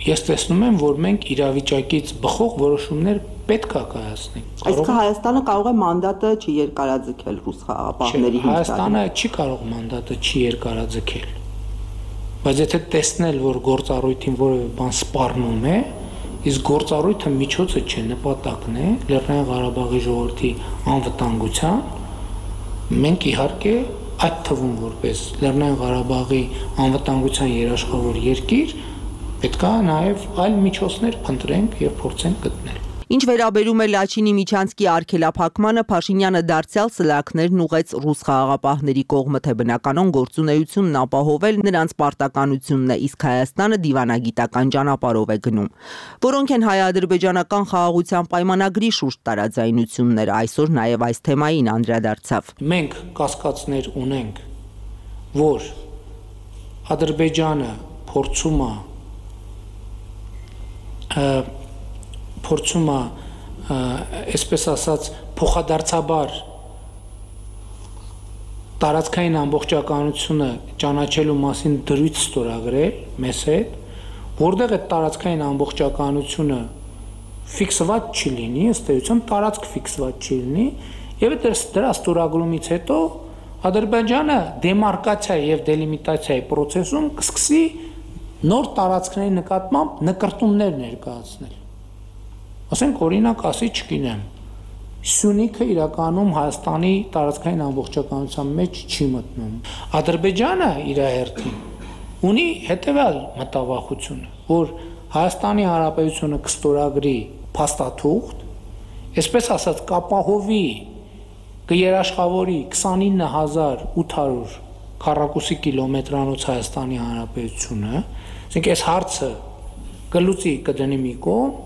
ես տեսնում եմ, որ մենք իրավիճակից բխող որոշումներ պետք է կայացնենք։ Այսինքն Հայաստանը կարող է մանդատը չերկարաձգել ռուս խաղաղապահների հետ։ Հայաստանը չի կարող մանդատը չերկարաձգել։ Բայց եթե տեսնել, որ գործառույթին որևէ բան սպառնում է, իսկ գործառույթը միջոցը չէ, նպատակն է Լեռնային Ղարաբաղի ժողովրդի անվտանգության, մենք իհարկե այդ թվում որպես Լեռնային Ղարաբաղի անվտանգության երաշխավոր երկիր պետք է նաև այլ միջոցներ փնտրենք եւ փորձենք գտնել։ Ինչ վերաբերում է Լաչինի Միչանսկի արգելափակմանը, Փաշինյանը դարձյալ սլաքներն ուղեց ռուս խաղաղապահների կողմը, թե բնականon գործունեությունն ապահովել նրանց պարտականությունն է, իսկ Հայաստանը դիվանագիտական ճանապարհով է գնում։ Որոնք են հայ-ադրբեջանական խաղաղության պայմանագրի շուրջ տարաձայնությունները, այսօր նաև այս թեմային անդրադարձավ։ Մենք կասկածներ ունենք, որ Ադրբեջանը փորձում է փորձում է, այսպես ասած, փոխադարձաբար տարածքային ամբողջականությունը ճանաչելու մասին դրույթ ստորագրել մեզ հետ, որտեղ այդ տարածքային ամբողջականությունը ֆիքսված չի լինի, ըստ էության տարածք ֆիքսված չի լինի, եւ դրա ստորագրումից հետո Ադրբեջանը դեմարկացիա եւ դելիմիտացիայի process-ում կսկսի նոր տարածքների նկատմամբ նկրտումներ ներկայացնել։ Ասենք օրինակ ասի չգիտեմ, Սյունիքը իրականում Հայաստանի տարածքային ամբողջականության մեջ չի մտնում։ Ադրբեջանը իր հերթին ունի հետևյալ մտավախությունը, որ Հայաստանի Հանրապետությունը կստորագրի փաստաթուղթ, այսպես ասած կապահովի կերաշխավորի քսանինը հազար ութ հարյուր քառակուսի կիլոմետրանոց Հայաստանի Հանրապետությունը, ասենք այս հարցը կլուծի կդնի մի կողմ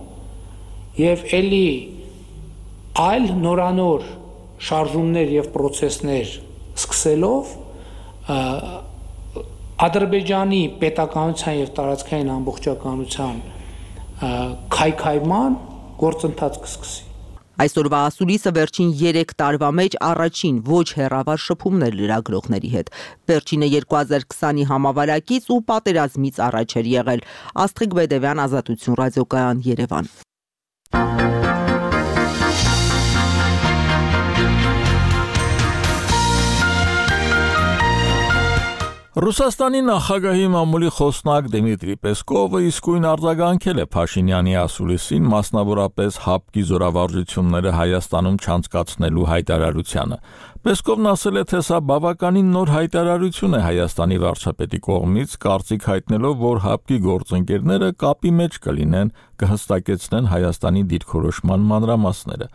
եւ էլի այլ նորանոր շարժումներ եւ process-ներ սկսելով Ադրբեջանի պետականության եւ տարածքային ամբողջականության քայքայման գործընթաց կսկսի։ Այսօրվա ասուլիսը վերջին երեք տարվա մեջ առաջին ոչ հեռավար շփումներ լրագրողների հետ։ Վերջինը երկու հազար քսանի համավարակից ու պատերազմից առաջ էր եղել։ Աստղիկ Բեդևյան, Ազատություն ռադիոկայան, Երևան։ Ռուսաստանի նախագահի մամուլի խոսնակ Դիմիտրի Պեսկովը իսկույն արձագանքել է Փաշինյանի ասուլիսին, մասնավորապես ՀԱՊԿ-ի զորավարժությունները Հայաստանում չանցկացնելու հայտարարությանը։ Պեսկովն ասել է, թե սա բավականին նոր հայտարարություն է Հայաստանի վարչապետի կողմից, կարծիք հայտնելով, որ ՀԱՊԿ-ի գործընկերները կապի մեջ կլինեն, կհստակեցնեն Հայաստանի դիրքորոշման մանրամասները։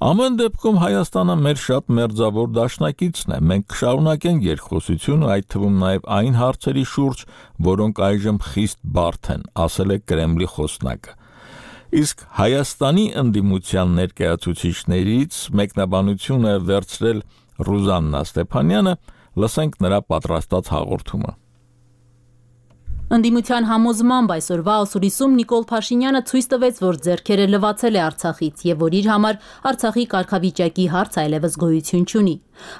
Ամեն դեպքում Հայաստանը մեր շատ մերձավոր դաշնակիցն է, մենք կշարունակենք երկխոսությունը, այդ թվում նաև այն հարցերի շուրջ, որոնք այժմ խիստ բարդ են, ասել է Կրեմլի խոսնակը։ Իսկ Հայաստանի ընդդիմության ներկայացուցիչներից մեկնաբանություն է վերցրել Ռուզաննա Ստեփանյանը, լսենք նրա պատրաստած հաղորդումը։ Ընդդիմության համոզմամբ այսօրվա ասուլիսում Նիկոլ Փաշինյանը ցույց տվեց, որ ձեռքերը լվացել է Արցախից եւ որ իր համար Արցախի կարգավիճակի հարց այլևս գոյություն չունի։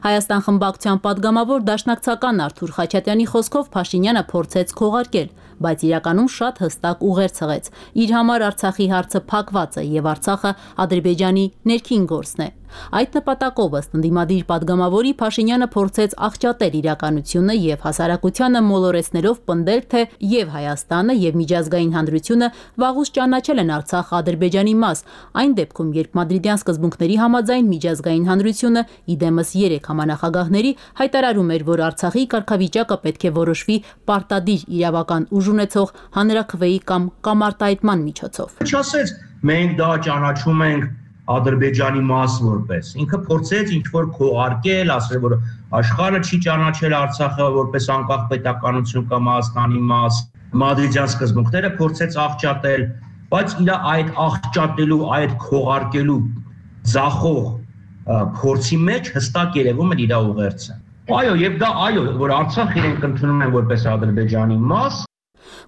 Հայաստան խմբակցության падգամավոր դաշնակցական Արթուր Խաչատյանի խոսքով Փաշինյանը փորձեց քողարկել, բայց իրականում շատ հստակ ուղեր ցղեց։ Իր համար Արցախի հարցը փակված է եւ Արցախը Ադրբեջանի ներքին գործն է։ Այդ նպատակով ըստ ընդդիմադիր падգամավորի Փաշինյանը փորձեց աղճատել իրականությունը եւ հասարակությանը մոլորեցնելով պնդել, թե եւ Հայաստանը եւ միջազգային հանրությունը վաղուց ճանաչել են Արցախը Ադրբեջանի մաս, այն դեպքում, երբ մադրիդյան սկզբունքների համաձայն միջազգային հանրությունը իդեմս երեք համանախագահների հայտարարում էր, որ Արցախի կարգավիճակը պետք է որոշվի պարտադիր իրավական ուժ ունեցող հանրաքվեի կամ կամարտահայտման միջոցով։ Չասեց մենք դա ճանաչում ենք Ադրբեջանի մաս որպես ինքը փորձեց ինչ-որ քողարկել, ասել որ աշխարհը չի ճանաչել Արցախը որպես անկախ պետականություն կամ Հայաստանի մաս, մադրիդյան սկզբունքները փորձեց աղճատել, բայց իր այդ աղճատելու, այդ քողարկելու ձախող փորձի մեջ հստակ երևում էր իր ուղերձը։ Այո, եւ դա այո, որ Արցախ իրենք ընդունում են որպես Ադրբեջանի մաս։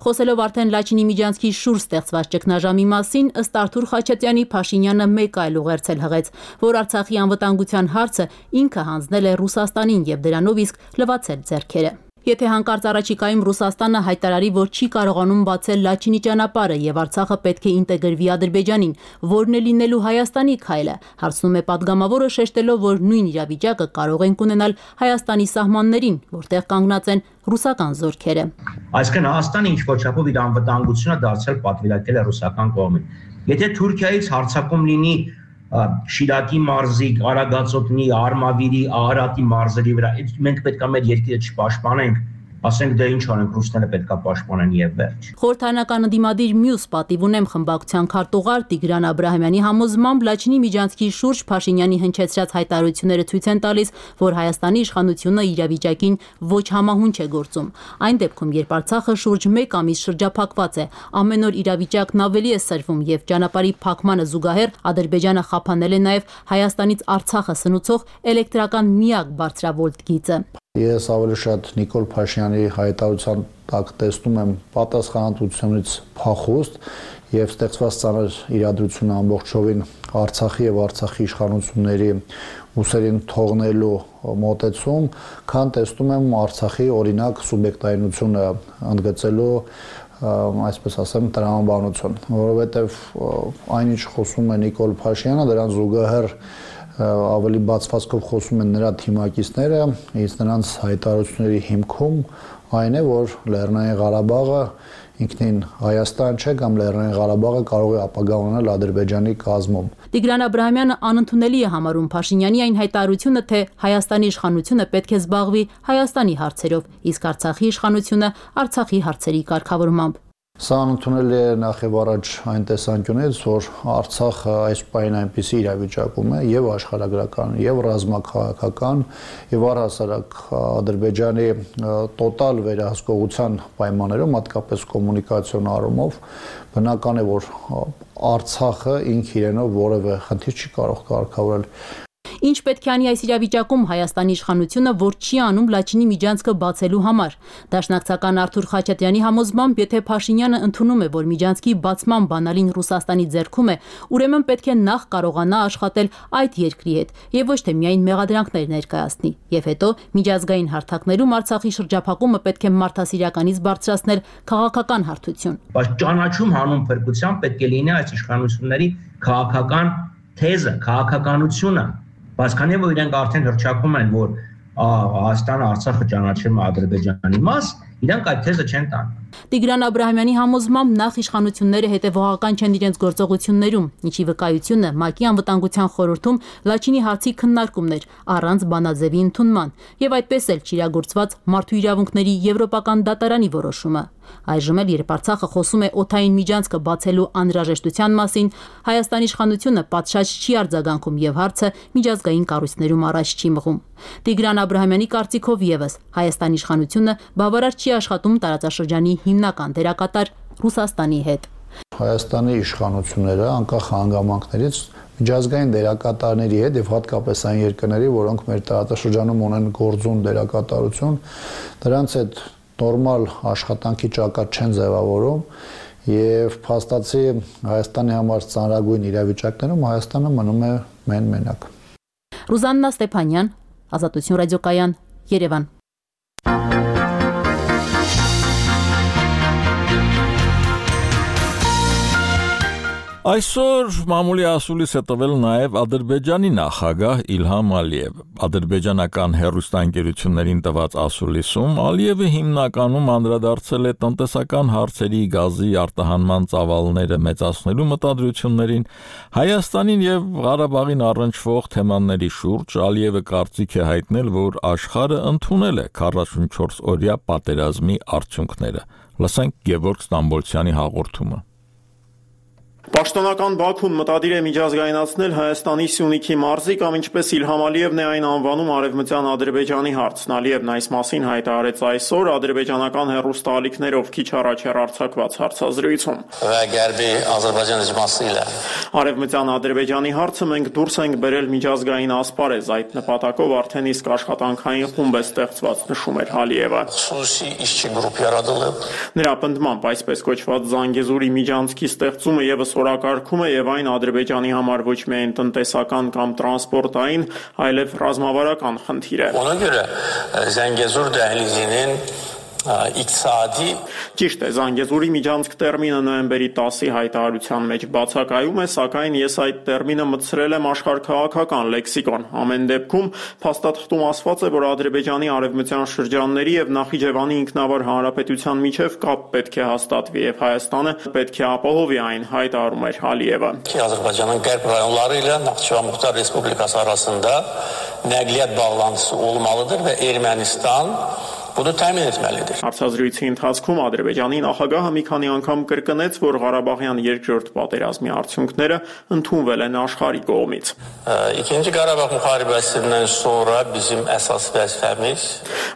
Խոսելով արդեն Լաչինի միջանցքի շուրջ ստեղծված ճգնաժամի մասին, ըստ Արթուր Խաչատյանի Փաշինյանը մեկ այլ ուղերձել հղեց, որ Արցախի անվտանգության հարցը ինքը հանձնել է Ռուսաստանին եւ դրանով իսկ լվացել ձեռքերը։ Եթե հանկարծ առաջիկայում Ռուսաստանը հայտարարի, որ չի կարողանում բացել Լաչինի ճանապարհը եւ Արցախը պետք է ինտեգրվի Ադրբեջանին, որն է լինելու Հայաստանի քայլը, հարցնում է падգամավորը, շեշտելով, որ նույն իրավիճակը կարող են ունենալ Հայաստանի սահմաններին, որտեղ կանգնած են ռուսական զորքերը։ Այսինքն Հայաստանը ինչ-որ չափով իր անվտանգությունը դարձել պատվիրակել է ռուսական կողմին։ Եթե Թուրքիայից հարձակում լինի Շիրակի մարզի, Արագածոտնի, Արմավիրի, Արարատի մարզերի վրա, մենք պետք է մեր երկիրը չպաշտպանենք, ասենք դե ինչ անենք, ռուսները պետք է պաշտպանեն եւ վերջ։ Խորհրդարանական ընդդիմադիր մյուս պատիվ ունեմ խմբակցության քարտուղար Տիգրան Աբրահամյանի համոզմամբ Լաչինի միջանցքի շուրջ Փաշինյանի հնչեցրած հայտարարությունները ցույց են տալիս, որ Հայաստանի իշխանությունը իրավիճակին ոչ համահունչ է գործում։ Այն դեպքում, երբ Արցախը շուրջ մեկ ամիս շրջափակված է, ամեն օր իրավիճակն ավելի է սրվում եւ ճանապարհի փակմանը զուգահեռ Ադրբեջանը խափանել է նաեւ Հայաստանից Արցախը սնուցող էլեկտրական միակ բարձրավոլտ գիծը։ Ես ավելի շատ Նիկոլ Փաշինյանի հայտարարության տակ տեսնում եմ պատասխանատվությունից փախուստ եւ ստեղծված ծանր իրադրությունը ամբողջովին Արցախի եւ Արցախի իշխանությունների ուսերին թողնելու մոտեցում, քան տեսնում եմ Արցախի օրինակ սուբյեկտայինությունը ընդգծելու այսպես ասեմ տրամաբանություն, որովհետեւ այնինչ խոսում է Նիկոլ Փաշինյանը, դրան զուգահեռ ավելի բացվածքով խոսում են նրա թիմակիցները, իսկ նրանց հայտարարությունների հիմքում այն է, որ Լեռնային Ղարաբաղը ինքնին Հայաստան չէ կամ Լեռնային Ղարաբաղը կարող է ապագա ունենալ Ադրբեջանի կազմում։ Տիգրան Աբրահամյանը անընդունելի է համարում Փաշինյանի այն հայտարարությունը, թե Հայաստանի իշխանությունը պետք է զբաղվի Հայաստանի հարցերով, իսկ Արցախի իշխանությունը Արցախի հարցերի կարգավորմամբ։ Սա անընդունելի է նախ եւ առաջ այն տեսանկյունից, որ Արցախը այս պահին այնպիսի իրավիճակում է եւ աշխարհագրական, եւ ռազմաքաղաքական, եւ առհասարակ Ադրբեջանի տոտալ վերահսկողության պայմաններում, հատկապես կոմունիկացիոն առումով, բնական է, որ Արցախը ինք իրենով որևէ խնդիր չի կարող կարգավորել։ Ինչ պետք է անի այս իրավիճակում Հայաստանի իշխանությունը, որ չի անում Լաչինի միջանցքը բացելու համար։ Դաշնակցական Արթուր Խաչատյանի համոզմամբ, եթե Փաշինյանը ընդունում է, որ միջանցքի բացման բանալին Ռուսաստանի ձեռքում է, ուրեմն պետք է նախ կարողանա աշխատել այդ երկրի հետ եւ ոչ թե միայն մեղադրանքներ ներկայացնի։ Եվ հետո միջազգային հարթակներում Արցախի շրջափակումը պետք է մարդասիրականից բարձրացնել քաղաքական հարթություն։ Բայց ճանաչում հանուն փրկության պետք է լինի այս իշխանությունների քաղաքական թեզը, քաղաքականությունը։ Բայց քանի որ իրենք արդեն հրճակում են, որ Հայաստանը Արցախը ճանաչում է Ադրբեջանի մաս, իրանք այդ թեզը չեն տանում։ Տիգրան Աբրահամյանի համոզմամբ նախ իշխանությունները հետևողական չեն իրենց գործողություններում, ինչի վկայությունը ՄԱԿ-ի անվտանգության խորհրդում Լաչինի հարցի քննարկումն էր առանց բանաձևի ընդունման, եւ այդպես էլ չիրագործված մարդու իրավունքների եվրոպական դատարանի որոշումը։ Այժմ էլ, երբ Արցախը խոսում է օդային միջանցքը բացելու անհրաժեշտության մասին, Հայաստանի իշխանությունը պատշաճ չի արձագանքում եւ հարցը միջազգային կառույցներում առաջ չի մղում։ Տիգրան Աբրահամյանի կարծիքով եւս Հայաստանի իշխանությունը բավարար չի աշխատում տարածաշրջանի հիմնական դերակատար Ռուսաստանի հետ։ Հայաստանի իշխանությունները անկախ հանգամանքներից միջազգային դերակատարների հետ եւ հատկապես այն երկրների, որոնք մեր տարածաշրջանում ունեն գործուն դերակատարություն, դրանց հետ նորմալ աշխատանքի ճակատ չեն ձևավորում եւ փաստացի Հայաստանի համար ծանրագույն իրավիճակներում Հայաստանը մնում է մեն-մենակ։ Ռուզաննա Ստեփանյան, Ազատություն ռադիոկայան, Երևան։ Այսօր մամուլի ասուլիս է տվել նաև Ադրբեջանի նախագահ Իլհամ Ալիևը։ Ադրբեջանական հեռուստաընկերություններին տված ասուլիսում Ալիևը հիմնականում անդրադարձել է տնտեսական հարցերի, գազի արտահանման ծավալները մեծացնելու մտադրություններին, Հայաստանին եւ Ղարաբաղին առնչվող թեմաների շուրջ Ալիևը կարծիք է հայտնել, որ աշխարհը ընդունել է քառասունչորս օրյա պատերազմի արդյունքները։ Լսենք Գևորգ Ստամբոլցյանի հաղորդումը։ Պաշտոնական Բաքուն մտադիր է միջազգայնացնել Հայաստանի Սյունիքի մարզի կամ ինչպես Իլհամ Ալիևն է այն անվանում արևմտյան Ադրբեջանի հարցն։ Ալիևն այս մասին հայտարարեց այսօր ադրբեջանական հեռուստաալիքներով քիչ առաջ հեռարձակված հարցազրույցում։ Արևմտյան Ադրբեջանի հարցը մենք դուրս ենք բերել միջազգային ասպարեզ, այդ նպատակով արդեն իսկ աշխատանքային խումբ է ստեղծված, նշում էր Ալիևը։ Նրա պնդմամբ այսպես կոչված Զանգեզուրի միջանցքի ստեղծումը եւս օրակարգում է եւ այն Ադրբեջանի համար ոչ միայն տնտեսական կամ տրանսպորտային, այլև ռազմավարական խնդիր է։ Ona görə Zəngəzur dəhlizinin իկտիսադի Ճիշտ է, Զանգեզուրի միջանցք տերմինը նոյեմբերի տասի հայտարարության մեջ բացակայում է, սակայն ես այդ տերմինը մտցրել եմ աշխարհքաղաքական լեքսիկոն։ Ամեն դեպքում փաստաթղթում ասված է, որ Ադրբեջանի արևմտյան շրջանների եւ Նախիջևանի ինքնավար հանրապետության միջև կապ պետք է հաստատվի եւ Հայաստանը պետք է ապահովի այն, հայտարարում էր Ալիևը։ Azərbaycanın qərb rayonları ilə Naxçıvan Muxtar Respublikası arasında nəqliyyat bağlantısı olmalıdır və Ermənistan bunu təmin etməlidir։ Հարցազրույցի ընթացքում Ադրբեջանի նախագահը մի քանի անգամ կրկնեց, որ Ղարաբաղյան երկրորդ պատերազմի արդյունքները ընդունվել են աշխարհի կողմից։ İkinci Qarabağ müharibəsindən sonra bizim əsas vəzifəmiz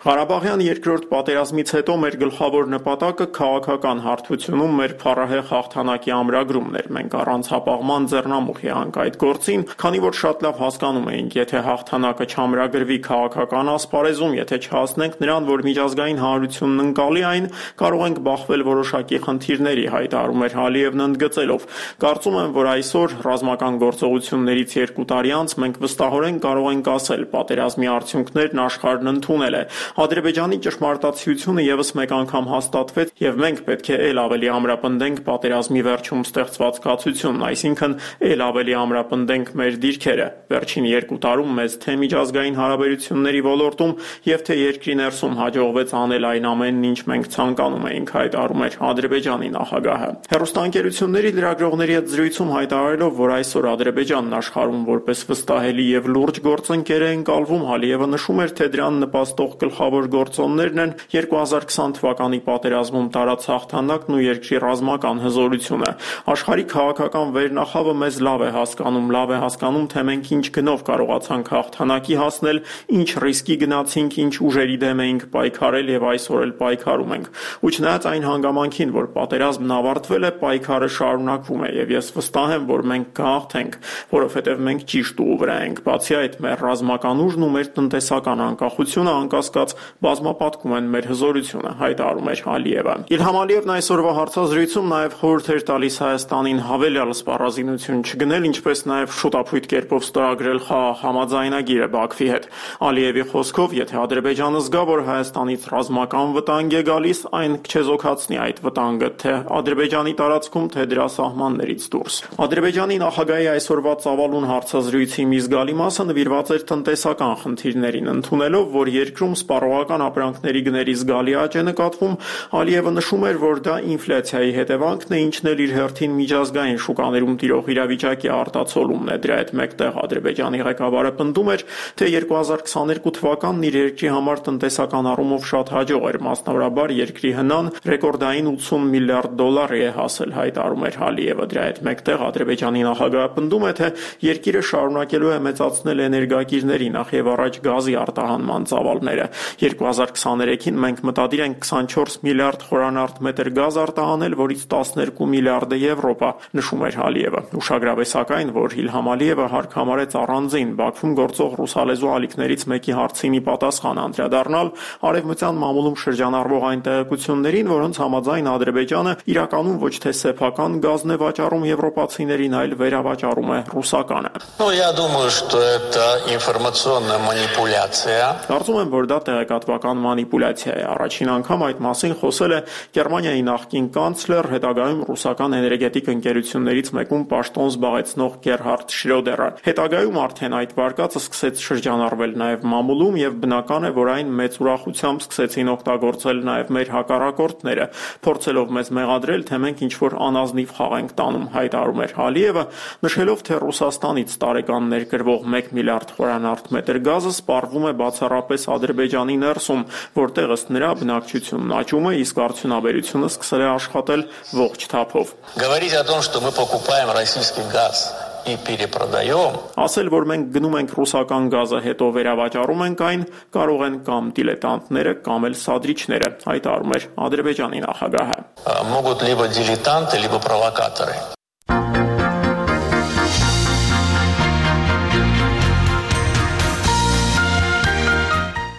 Ղարաբաղյան երկրորդ պատերազմից հետո մեր գլխավոր նպատակը քաղաքական հարթությունում մեր փառահեղ հաղթանակի ամրագրումն էր։ Մենք առանց հապաղման ձեռնամուխ եղանք այդ գործին, քանի որ շատ լավ հասկանում էինք, եթե հաղթանակը չամրագրվի քաղաքական ասպարեզում, եթե չհասնենք նրան, որ միջազգային հանրությունն ընկալի այն, կարող ենք բախվել որոշակի խնդիրների, հայտարարում էր Ալիևն ընդգծելով։ Կարծում եմ, որ այսօր ռազմական գործողություններից երկու տարի անց մենք վստահորեն կարող ենք ասել, պատերազմի արդյունքներն աշխարհն ընդունել է։ Ադրբեջանի ճշմարտացիությունը եւս մեկ անգամ հաստատվեց, եւ մենք պետք է ել ավելի ամրապնդենք պատերազմի վերջում ստեղծված կացությունն, այսինքն ել ավելի ամրապնդենք մեր դիրքերը։ Վերջին երկու տարում մեզ թե միջազգային հարաբերությունների ոլորտում եւ թե երկրի ներսում հաջողվեց անել այն ամենն, ինչ մենք ցանկանում էինք, հայտարարում էր Ադրբեջանի նախագահը։ Հեռուստաընկերությունների լրագրողների հետ զրույցում հայտարարելով, որ այսօր Ադրբեջանն աշխարհում որպես վստահելի եւ լուրջ գործընկեր է ընկալվում, Ալիևը նշում էր, թե դրան նպաստող գլխավոր գործոններն են երկու հազար քսան թվականի պատերազմում տարած հաղթանակն ու երկրի ռազմական հզորությունը։ Աշխարհի քաղաքական վերնախավը մեզ լավ է հասկանում, լավ է հասկանում, թե մենք ինչ գնով կարողացանք հաղթանակի հասնել, ինչ ռիսկի գնացինք, ինչ ուժերի դեմ էինք պայքարել եւ այսօր էլ պայքարում ենք։ Ու չնայած այն հանգամանքին, որ պատերազմն ավարտվել է, պայքարը շարունակվում է եւ ես վստահ եմ, որ մենք կհաղթենք, որովհետեւ մենք ճիշտ ուղու վրա ենք։ Բացի այդ, մեր ռազմական ուժն ու մեր տնտեսական անկախությունը անկասկած բազմապատկում են մեր հզորությունը, հայտարարում էր Ալիևը։ Իլհամ Ալիևն այսօրվա հարցազրույցում նաեւ խորհուրդ էր տալիս Հայաստանին հավելյալ սպառազինություն չգնել, ինչպես նաեւ շուտապույտ կերպով ստորագրել խաղաղ համաձայնագիրը Բաքվի հետ։ Ալիևի խոսքով, եթե Ադրբեջանը զգա, որ Հայաստանը Հայաստանից ռազմական վտանգ է գալիս, այն կչեզոքացնի այդ վտանգը թե Ադրբեջանի տարածքում, թե դրա սահմաններից դուրս։ Ադրբեջանի նախագահի այսօրվա ծավալուն հարցազրույցի մի զգալի մասը նվիրված էր տնտեսական խնդիրներին, ընդունելով, որ երկրում սպառողական ապրանքների գների զգալի աճ է նկատվում, Ալիևը նշում էր, որ դա ինֆլյացիայի հետևանքն է, ինչն էլ իր հերթին միջազգային շուկաներում տիրող իրավիճակի արտացոլումն է։ Դրա հետ մեկտեղ Ադրբեջանի ղեկավարը պնդում էր, թե երկու հազար քսաներկու թվականն իր երկրի համար տնտեսական առումով շատ հաջող էր, մասնավորաբար երկրի հնան ռեկորդային ութսուն միլիարդ դոլարի է հասել, հայտարարում էր Ալիևը։ Դրա հետ մեկտեղ Ադրբեջանի նախագահը պնդում է, թե երկիրը շարունակելու է մեծացնել էներգակիրների, նախ եւ առաջ գազի արտահանման ծավալները։ երկու հազար քսաներեքին մենք մտադիր ենք քսանչորս միլիարդ խորանարդ մետր գազ արտահանել, որից տասներկու միլիարդը Եվրոպա, նշում էր Ալիևը։ Ուշագրավ է սակայն, որ Իլհամ Ալիևը հարկ համարեց առանձին Բաքվում գործող ռուսալեզու ալիքներից մեկի հարցին ի պատասխան անդրադառնալ արևմտյան մամուլում շրջանառվող այն տեղեկություններին, որոնց համաձայն Ադրբեջանը իրականում ոչ թե սեփական գազն է վաճառում եվրոպացիներին, այլ վերավաճառում է ռուսականը։ Ну, я думаю, что это информационная манипуляция. Կարծում եմ, որ դա տեղեկատվական մանիպուլյացիա է։ Առաջին անգամ այդ մասին խոսել է Գերմանիայի նախկին կանցլեր, հետագայում ռուսական էներգետիկ ընկերություններից մեկում պաշտոն զբաղեցնող Գերհարդ Շրոդերը։ Հետագայում արդեն այդ վարկածը սկսեց շրջանառվել նաև մամուլում եւ բնական է, որ այն մեծ ուրախությամբ սկսեցին օգտագործել նաև մեր հակառակորդները, փորձելով մեզ մեղադրել, թե մենք ինչ-որ անազնիվ խաղ ենք տանում, հայտարարում էր Ալիևը, նշելով, թե Ռուսաստանից տարեկան ներկրվող մեկ միլիարդ խորանարդ մետր գազը սպառվում է բացառապես Ադրբեջանի ներսում, որտեղ ըստ նրա բնակչությունն աճում է, իսկ արդյունաբերությունը սկսել է աշխատել ողջ թափով։ Говорить о том, что мы покупаем российский газ и перепродаем. Ասել, որ մենք գնում ենք ռուսական գազը, հետո վերավաճառում ենք այն, կարող են կամ դիլետանտները, կամ էլ սադրիչները, հայտարարում էր Ադրբեջանի նախագահը։ Могут либо дилетанты, либо провокаторы.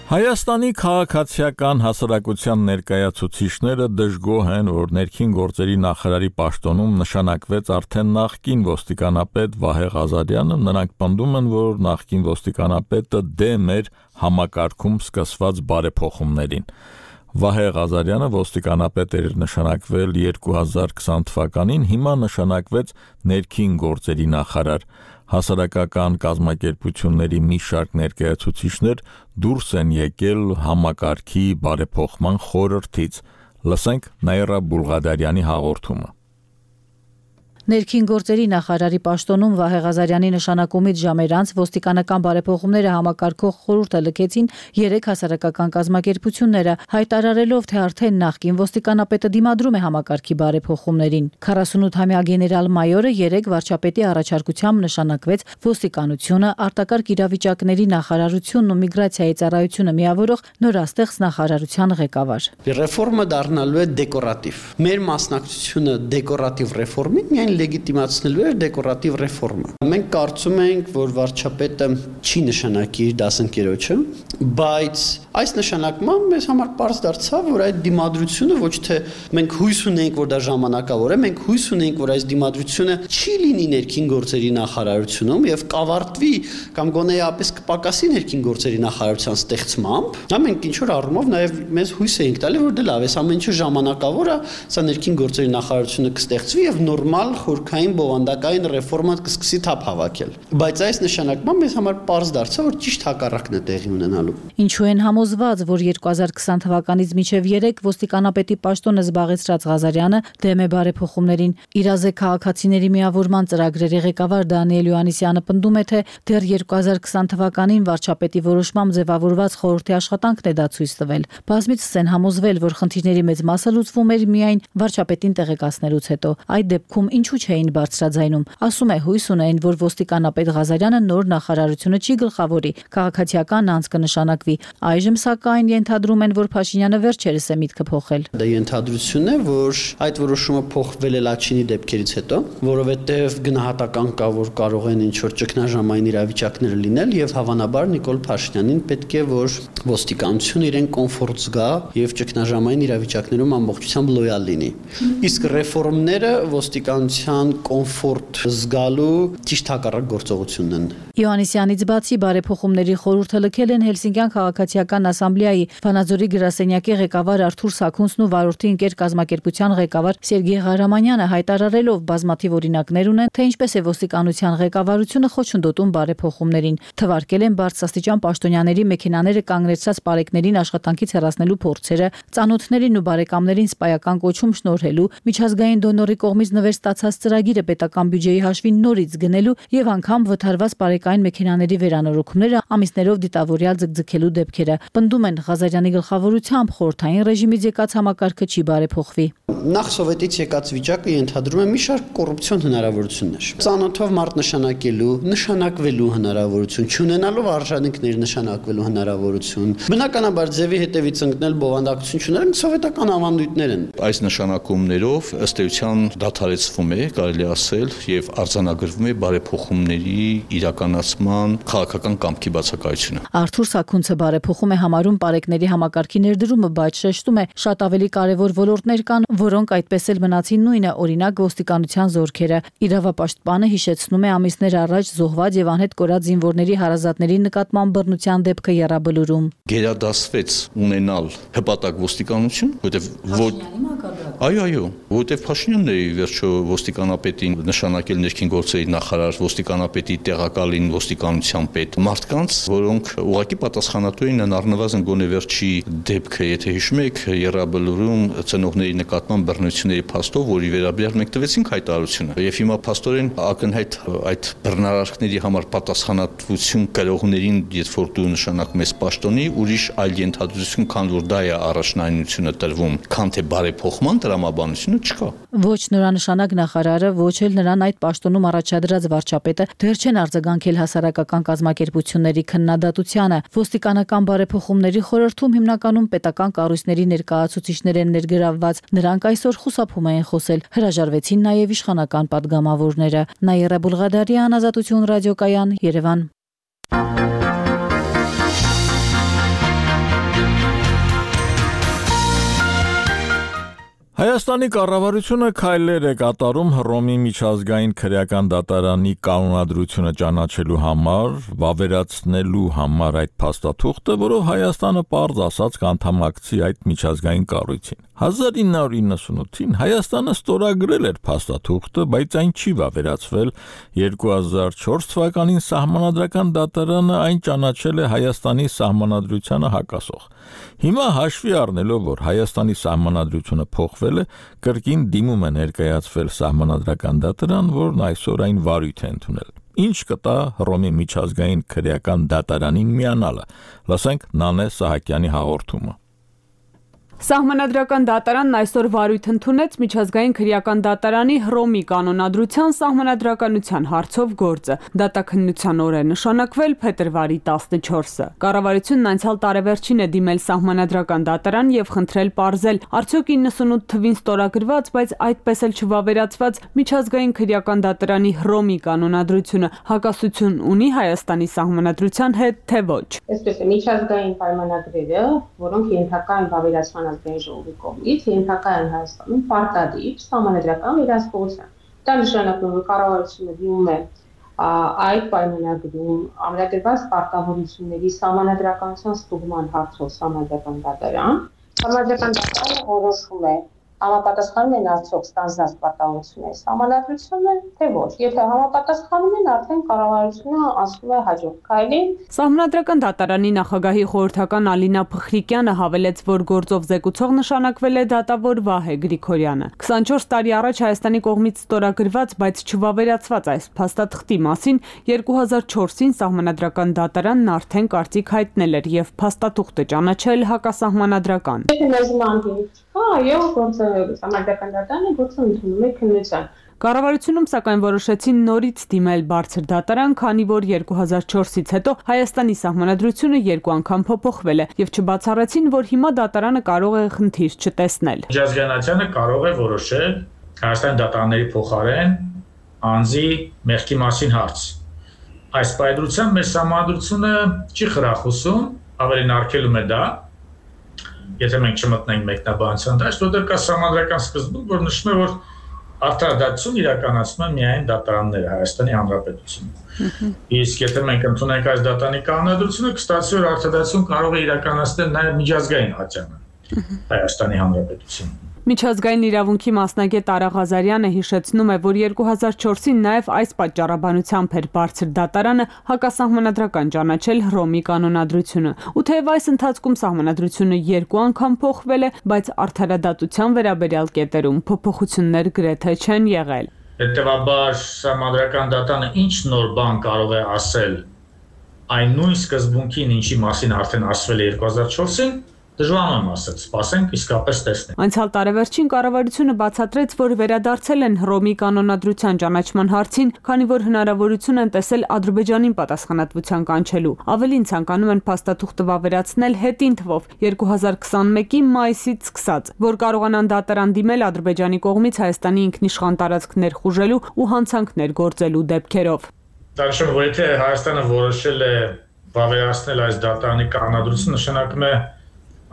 Հայաստանի քաղաքացիական հասարակության ներկայացուցիչները դժգոհ են, որ ներքին գործերի նախարարի պաշտոնում նշանակվեց արդեն նախկին ոստիկանապետ Վահե Ղազարյանը, նրանք պնդում են, որ նախկին ոստիկանապետը դեմ էր համակարգում սկսված բարեփոխումներին։ Վահե Ղազարյանը ոստիկանապետ էր նշանակվել երկու հազար քսան թվականին, հիմա նշանակվեց ներքին գործերի նախարար։ Հասարակական կազմակերպությունների մի շարք ներկայացուցիչներ դուրս են եկել համակարգի բարեփոխման խորհրդից։ Լսենք Նաիրա Բուլղադարյանի հաղորդումը։ Ներքին գործերի նախարարի պաշտոնում Վահե Ղազարյանի նշանակումից ժամեր անց ոստիկանական բարեփոխումները համակարգող խորհուրդը լքեցին երեք հասարակական կազմակերպությունները, հայտարարելով, թե արդեն նախկին ոստիկանապետը դիմադրում է համակարգի բարեփոխումներին։ քառասունութամյա գեներալ մայորը երեք վարչապետի առաջարկությամբ նշանակվեց ոստիկանությունը, արտակարգ իրավիճակների նախարարությունն ու միգրացիայի ծառայությունը միավորող նորաստեղծ նախարարության ղեկավար։ Ռեֆորմը դառնալու է դեկորատիվ։ Մեր մասնակցությունը դեկորատիվ ռեֆորմին միայն լեգիտիմացնելու էր դեկորատիվ ռեֆորմը։ Մենք կարծում ենք, որ վարչապետը չի նշանակի իր դասընկերոջը, բայց այս նշանակմամբ մեզ համար պարզ դարձավ, որ այդ դիմադրությունը ոչ թե մենք հույս ունենք, որ դա ժամանակավոր է, մենք հույս ունենք, որ այս դիմադրությունը չի լինի ներքին գործերի նախարարությունում եւ կավարտվի կամ գոնեապես կպակասի ներքին գործերի նախարարության ստեղծմամբ։ Դա մենք ինչ որ առումով նաեւ մեզ հույս էինք տալի, որ դե լավ է, ամեն ինչը ժամանակավոր է, սա ներքին գործերի նախարարությունը կստեղծվի եւ նորմալ խորքային բովանդակային ռեֆորմա կսկսի թափ հավաքել։ Բայց այս նշանակմամբ մեզ համար պարզ դարձավ, որ ճիշտ հակառակն է տեղի ունենալու։ Ինչու են համոզված, որ երկու հազար քսան թվականից մինչև երեք ոստիկանապետի պաշտոնը զբաղեցրած Ղազարյանը դեմ է բարեփոխումներին։ Իրազե քաղաքացիների միավորման ծրագրերի ղեկավար Դանիել Յոհաննիսյանը պնդում է, թե դեռ երկու հազար քսան թվականին վարչապետի որոշմամբ ձևավորված խորհրդի աշխատանքն է դա ցույց տվել։ Բազմիցս են համոզվել, որ խնդիրների մեծ մասը լուծվում էր միայն վարչապետին տեղեկացնելուց հետո։ Այդ դեպքում ինչու չէին բարձրաձայնում։ Ասում է, հույս ունեն, որ ոստիկանապետ Ղազարյանը նոր նախարարությունը չի գլխավորի, քաղաքացիական անձ կնշանակվի։ Այժմ սակայն ենթադրում են, որ Փաշինյանը վերջերս է միտքը փոխել։ Դա ենթադրություն է, որ այդ որոշումը փոխվել է Լաչինի դեպքերից հետո, որովհետև գնահատական կա, որ կարող են ինչ-որ ճգնաժամային իրավիճակներ լինել եւ հավանաբար Նիկոլ Փաշինյանին պետք է, որ ոստիկանությունը իրեն կոմֆորտ զգա եւ ճգնաժամային իրավիճակներում ամբողջությամբ լոյալ լինի։ Իսկ ռեֆորմները ոստիկանության բնակչության կոմֆորտ զգալու ճիշտ հակառակ գործողությունն են։ Յոհաննիսյանից բացի բարեփոխումների խորհուրդը լքել են Հելսինկյան քաղաքացիական ասամբլեայի Վանաձորի գրասենյակի ղեկավար Արթուր Սաքունցն ու վարորդի ընկեր կազմակերպության ղեկավար Սերգեյ Ղարամանյանը, հայտարարելով բազմաթիվ օրինակներ ունեն, թե ինչպես է ոստիկանության ղեկավարությունը խոչընդոտում բարեփոխումներին։ Թվարկել են բարձրաստիճան պաշտոնյաների մեքենաները կանգնեցրած պարեկներին աշխատանքից հեռացնելու փորձերը, ծանոթներին ու բարեկամներին սպայական կոչում շնորհելու, միջազգային դոնորի կողմից նվեր ստացած ծրագիրը պետական բյուջեի հաշվին նորից գնելու եւ անգամ վթարված պարեկային մեքենաների վերանորոգումները ամիսներով դիտավորյալ ձգձգելու դեպքերը։ Պնդում են Ղազարյանի գլխավորությամբ խորհրդային ռեժիմից եկած համակարգը չի բարեփոխվի։ Նախ սովետից եկած վիճակը ենթադրում է մի շարք կոռուպցիոն հնարավորություններ։ Ծանոթով մարդ նշանակելու, նշանակվելու հնարավորություն, չունենալով արժանինքներ նշանակվելու հնարավորություն։ Բնականաբար ձևի հետևից ընկնել բովանդակություն չունեն սովետական ավանդույթներ են։ Այս նշանակումներով ըստ էության դադարեցվում է, կարելի ասել, եւ արձանագրվում է բարեփոխումների իրականացման քաղաքական կամքի բացակայությունը։ Արթուր Սաքունցը բարեփոխում է համարում պարեկների համակարգի ներդրումը, բայց շեշտում է շատ ավելի կարևոր ոլորտներ կան, որոնք այդպես էլ մնացին նույնը, օրինակ ոստիկանության զորքերը։ Իրավապաշտպանը հիշեցնում է ամիսներ առաջ զոհված եւ անհետ կորած զինվորների հարազատների նկատմամբ բռնության դեպքը եռաբլուրում։ Գերադասվեց ունենալ հպատակ ոստիկանություն, որտեղ Այո, այո, որտեղ Փաշինյանն է վերջո ոստիկանապետին նշանակել ներքին գործերի նախարար, ոստիկանապետի տեղակալին ոստիկանության պետ, մարդկանց, որոնք ուղղակի պատասխանատու էին առնվազն գոնե վերջի դեպքը, եթե հիշում եք, եռաբլուրում ծնողների նկատմամբ բռնությունների փաստով, որի վերաբերյալ մենք տվեցինք հայտարարությունը։ Եվ հիմա փաստորեն ակնհայտ այդ բռնարարքների համար պատասխանատվություն կրողներին, երբ որ դու նշանակում ես պաշտոնի, ուրիշ այլ ենթադրություն, քան որ դա է առաջնայնությունը տրվում, քան թե բարեփոխման տրամաբանությունը չկա։ Ոչ նորանշանակ նախարարը, ոչ էլ նրան այդ պաշտոնում առաջադրած վարչապետը դեռ չեն արձագանքել հասարակական կազմակերպությունների քննադատությանը։ Ոստիկանական բարեփոխումների խորհրդում հիմնականում պետական կառույցների ներկայացուցիչներ են ներգրավված։ Նրանք այսօր խուսափում են խոսել, հրաժարվեցին նաև իշխանական падգամավորները։ Նաիրա Բուլղադարյան, Ազատություն ռադիոկայան, Երևան։ Հայաստանի կառավարությունը քայլեր է կատարում Հռոմի միջազգային քրեական դատարանի կանոնադրությունը ճանաչելու համար, վավերացնելու համար այդ փաստաթուղթը, որով Հայաստանը պարզ ասած կանդամակցի այդ միջազգային կառույցին։ հազար ինը հարյուր իննսունութին Հայաստանը ստորագրել էր փաստաթուղթը, բայց այն չի վավերացվել։ երկու հազար չորս թվականին Սահմանադրական դատարանը այն ճանաչել է Հայաստանի սահմանադրությանը հակասող։ Հիմա հաշվի առնելով, որ Հայաստանի սահմանադրությունը փոխվել է, կրկին դիմում է ներկայացվել Սահմանադրական դատարան, որն այսօր այն վարույթ է ընդունել։ Ինչ կտա Հռոմի միջազգային քրեական դատարանին միանալը։ Լսենք Նանե Սահակյանի հաղորդումը։ Սահմանադրական դատարանն այսօր վարույթ ընդունեց միջազգային քրեական դատարանի Հռոմի կանոնադրության սահմանադրականության հարցով գործը։ Դատաքննության օր է նշանակվել փետրվարի տասնչորսը։ Կառավարությունն անցյալ տարեվերջին է դիմել սահմանադրական դատարան եւ խնդրել պարզել, արդյոք իննսունութ թվին ստորագրված, բայց այդպես էլ չվավերացված միջազգային քրեական դատարանի Հռոմի կանոնադրությունը հակասություն ունի Հայաստանի սահմանադրության հետ, թե ոչ։ Այսպես է, միջազգային պայմանագրերը, որոնք ենթակա են վավերացման ազգային ժողովի կողմից, ենթակա են Հայաստանում պարտադիր սահմանադրական վերահսկողության։ Դա նշանակում է, որ կառավարությունը դիմում է այդ պայմանագրում ամրագրված պարտավորությունների սահմանադրականության ստուգման հարցով սահմանադրական դատարան։ Սահմանադրական դատարանը որոշում է համապատասխանում են արդյոք ստանձնած պարտավորությունների սահմանադրությունը, թե ոչ։ Եթե համապատասխանում են, արդեն կառավարությունը անցնում է հաջորդ քայլին։ Սահմանադրական դատարանի նախագահի խորհրդական Ալինա Փխրիկյանը հավելեց, որ գործով զեկուցող նշանակվել է դատավոր Վահե Գրիգորյանը։ քսանչորս տարի առաջ Հայաստանի կողմից ստորագրված, բայց չվավերացված այս փաստաթղթի մասին երկու հազար չորսին Սահմանադրական դատարանն արդեն կարծիք հայտնել էր եւ փաստաթուղթը ճանաչել հակասահմանադրական։ Այո, գործը Սահմանադրական դատարանը գործը ընդունում է քննության։ Կառավարությունում սակայն որոշեցին նորից դիմել բարձր դատարան, քանի որ երկու հազար չորսից հետո Հայաստանի սահմանադրությունը երկու անգամ փոփոխվել է եւ չբացառեցին, որ հիմա դատարանը կարող է խնդիր չտեսնել։ Միջազգայնացանը կարող է որոշել Հայաստանի դատարանների փոխարեն անձի մեղքի մասին հարց։ Այս պայմանությամբ մեր սահմանադրությունը չի խրախուսում, ավելին արգելում է դա, եթե մենք չմտնենք մեկնաբանության դաշտ, որտեղ կա սահմանադրական սկզբունք, որ նշում է, որ Արդարադատություն իրականացնում են միայն դատարանները Հայաստանի Հանրապետությունում։ Իսկ եթե մենք ընդունենք այս դատարանի կանոնադրությունը, կստացվի, որ արդարադատություն կարող է իրականացնել նաև միջազգային ատյանը Հայաստանի Հանրապետությունում։ Միջազգային իրավունքի մասնագետ Արա Ղազարյանը հիշեցնում է, որ երկու հազար չորսին նաև այս պատճառաբանությամբ էր բարձր դատարանը հակասահմանադրական ճանաչել Հռոմի կանոնադրությունը։ Ու թեև այս ընթացքում սահմանադրությունը երկու անգամ փոխվել է, բայց արդարադատության վերաբերյալ կետերում փոփոխություններ գրեթե չեն եղել։ Հետևաբար սահմանադրական դատարանը ինչ նոր բան կարող է ասել այն նույն սկզբունքին, ինչի մասին արդեն ասվել է երկու հազար չորսին, դժվար եմ ասել, սպասենք իսկապես տեսնենք։ Անցյալ տարեվերջին կառավարությունը բացատրեց, որ վերադարձել են Հռոմի կանոնադրության ճանաչման հարցին, քանի որ հնարավորություն են տեսել Ադրբեջանին պատասխանատվության կանչելու։ Ավելին ցանկանում են փաստաթուղթը վավերացնել հետին թվով երկու հազար քսանմեկի մայիսից սկսած, որ կարողանան դատարան դիմել Ադրբեջանի կողմից Հայաստանի ինքնիշխան տարածքներ խուժելու ու հանցանքներ գործելու դեպքերով։ Դաշնը, որ եթե Հայաստանը որոշել է վավերացնել այս դատարանի կանոնադրությունը, նշանակում է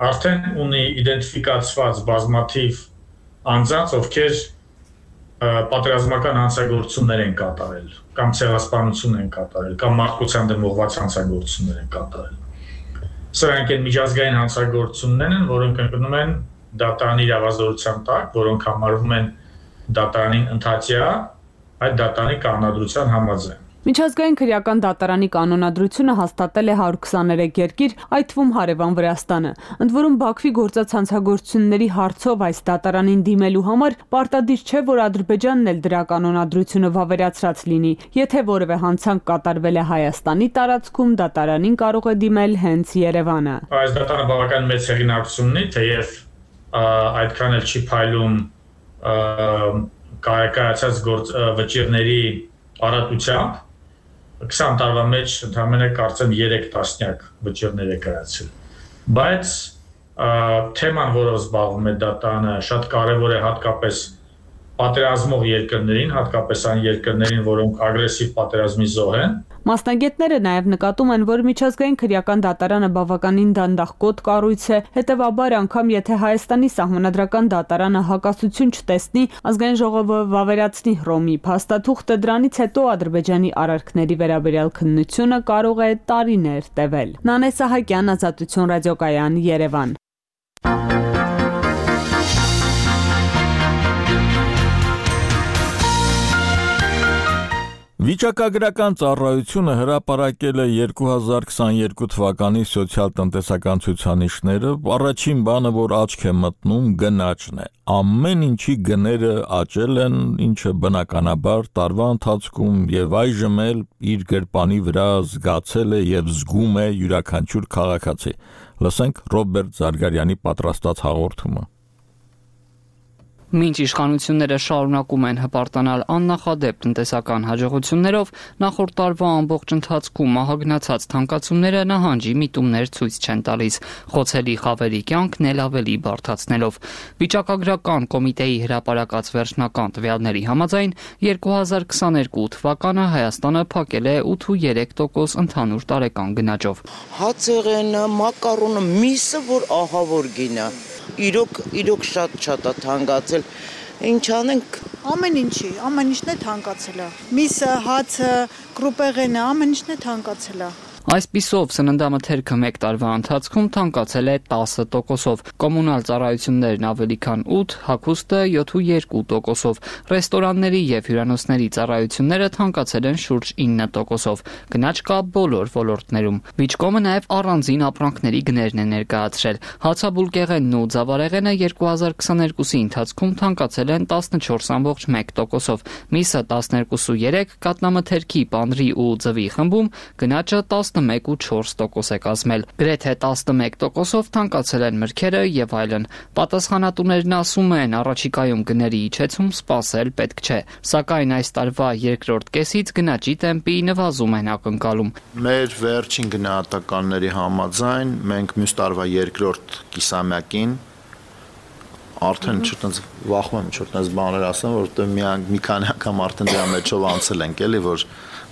արդեն ունի իդենտիֆիկացված բազմաթիվ անձանց, ովքեր պատերազմական հանցագործություններ են կատարել, կամ ցեղասպանություն են կատարել, կամ մարդկության դեմ ուղղված հանցագործություններ են կատարել։ Սրանք են միջազգային հանցագործություններ են, որոնք ընկնում են դատարանի իրավազորության տակ, որոնք համարվում են դատարանին ընդհատյա այդ դատարանի կանոնադրության համաձայն։ Միջազգային քրեական դատարանի կանոնադրությունը հաստատել է հարյուր քսաներեք երկիր, այդ թվում հարևան Վրաստանը։ Ընդ որում Բաքվի գործած հանցագործությունների հարցով այս դատարանին դիմելու համար պարտադիր չէ, որ Ադրբեջանն էլ դրա կանոնադրությունը վավերացրած լինի։ Եթե որևէ հանցանք կատարվել է Հայաստանի տարածքում, դատարանին կարող է դիմել հենց Երևանը։ Այս դատարանը բավական մեծ հեղինակություն ունի, թեև այդքան էլ չի փայլում կայացած վճիռների առատությամբ։ քսան տարվա մեջ ընդհանրապես կարծեմ երեք տասնյակ վճիռներ է կայացել։ Բայց թեման, որով զբաղվում է դատարանը, շատ կարևոր է հատկապես պատերազմող երկրներին, հատկապես այն երկրներին, որոնք ագրեսիվ պատերազմի զոհ են։ Մասնագետները նաև նկատում են, որ միջազգային քրեական դատարանը բավականին դանդաղկոտ կառույց է, հետևաբար անգամ եթե Հայաստանի սահմանադրական դատարանը հակասություն չտեսնի, ազգային ժողովը վավերացնի Հռոմի փաստաթուղթը, դրանից հետո Ադրբեջանի արարքների վերաբերյալ քննությունը կարող է տարիներ տևել։ Նանե Սահակյան, Ազատություն ռադիոկայան, Երևան։ Վիճակագրական ծառայությունը հրապարակել է երկու հազար քսաներկու թվականի սոցիալ-տնտեսական ցուցանիշները, առաջին բանը, որ աչք է մտնում, գնաճն է։ Ամեն ինչի գները աճել են, ինչը բնականաբար տարվա ընթացքում եւ այժմ էլ իր գրպանի վրա զգացել է եւ զգում է յուրաքանչյուր քաղաքացի։ Լսենք Ռոբերտ Զարգարյանի պատրաստած հաղորդումը։ Մինչ իշխանությունները շարունակում են հպարտանալ աննախադեպ տնտեսական հաջողություններով, նախորդ տարվա ամբողջ ընթացքում մահագնացած թանկացումները նահանջի միտումներ ցույց չեն տալիս, խոցելի խավերի կյանքն էլ ավելի բարդացնելով։ Վիճակագրական կոմիտեի հրապարակած վերջնական տվյալների համաձայն երկու հազար քսաներկու թվականը Հայաստանը փակել է ութ ու երեք տոկոս ընդհանուր տարեկան գնաճով։ Հացեղենը, մակարոնը, միսը, որ ահավոր գին է։ Իրոք, իրոք շատ-շատ է թանկացել։ Ինչ անենք։ Ամեն ինչի, ամեն ինչն է թանկացել է։ Միսը, հացը, կրուպեղենը, ամեն ինչն է թանկացել է։ Այսպիսով սննդամթերքը մեկ տարվա ընթացքում թանկացել է տասը տոկոսով, կոմունալ ծառայություններն ավելի քան ութ, հագուստը յոթ ու երկու տոկոսով, ռեստորանների եւ հյուրանոցների ծառայությունները թանկացել են շուրջ ինը տոկոսով, գնաճ կա բոլոր ոլորտներում։ Վիճկոմը նաեւ առանձին ապրանքների գներն է ներկայացրել։ Հացաբուլկեղենն ու ձավարեղենը երկու հազար քսաներկուսի ընթացքում թանկացել են տասնչորս կόμμα մեկ տոկոսով, միսը տասներկու ու երեք, կատնամթերքի, պանրի ու ձվի խմբում գնաճը տասնմեկ ու չորս տոկոս է կազմել։ Գրեթե տասնմեկ տոկոսով թանկացել են մրգերը եւ այլն։ Պատասխանատուներն ասում են, առաջիկայում գների իջեցում սպասել պետք չէ, սակայն այս տարվա երկրորդ կեսից գնաճի տեմպի նվազում են ակնկալում։ Մեր վերջին գնահատականների համաձայն մենք մյուս տարվա երկրորդ կիսամյակին արդեն չտնց վախում եմ չտնց բաներ ասեմ, որովհետեւ մի մի քանի անգամ արդեն դրա մեջով անցել ենք, էլի, որ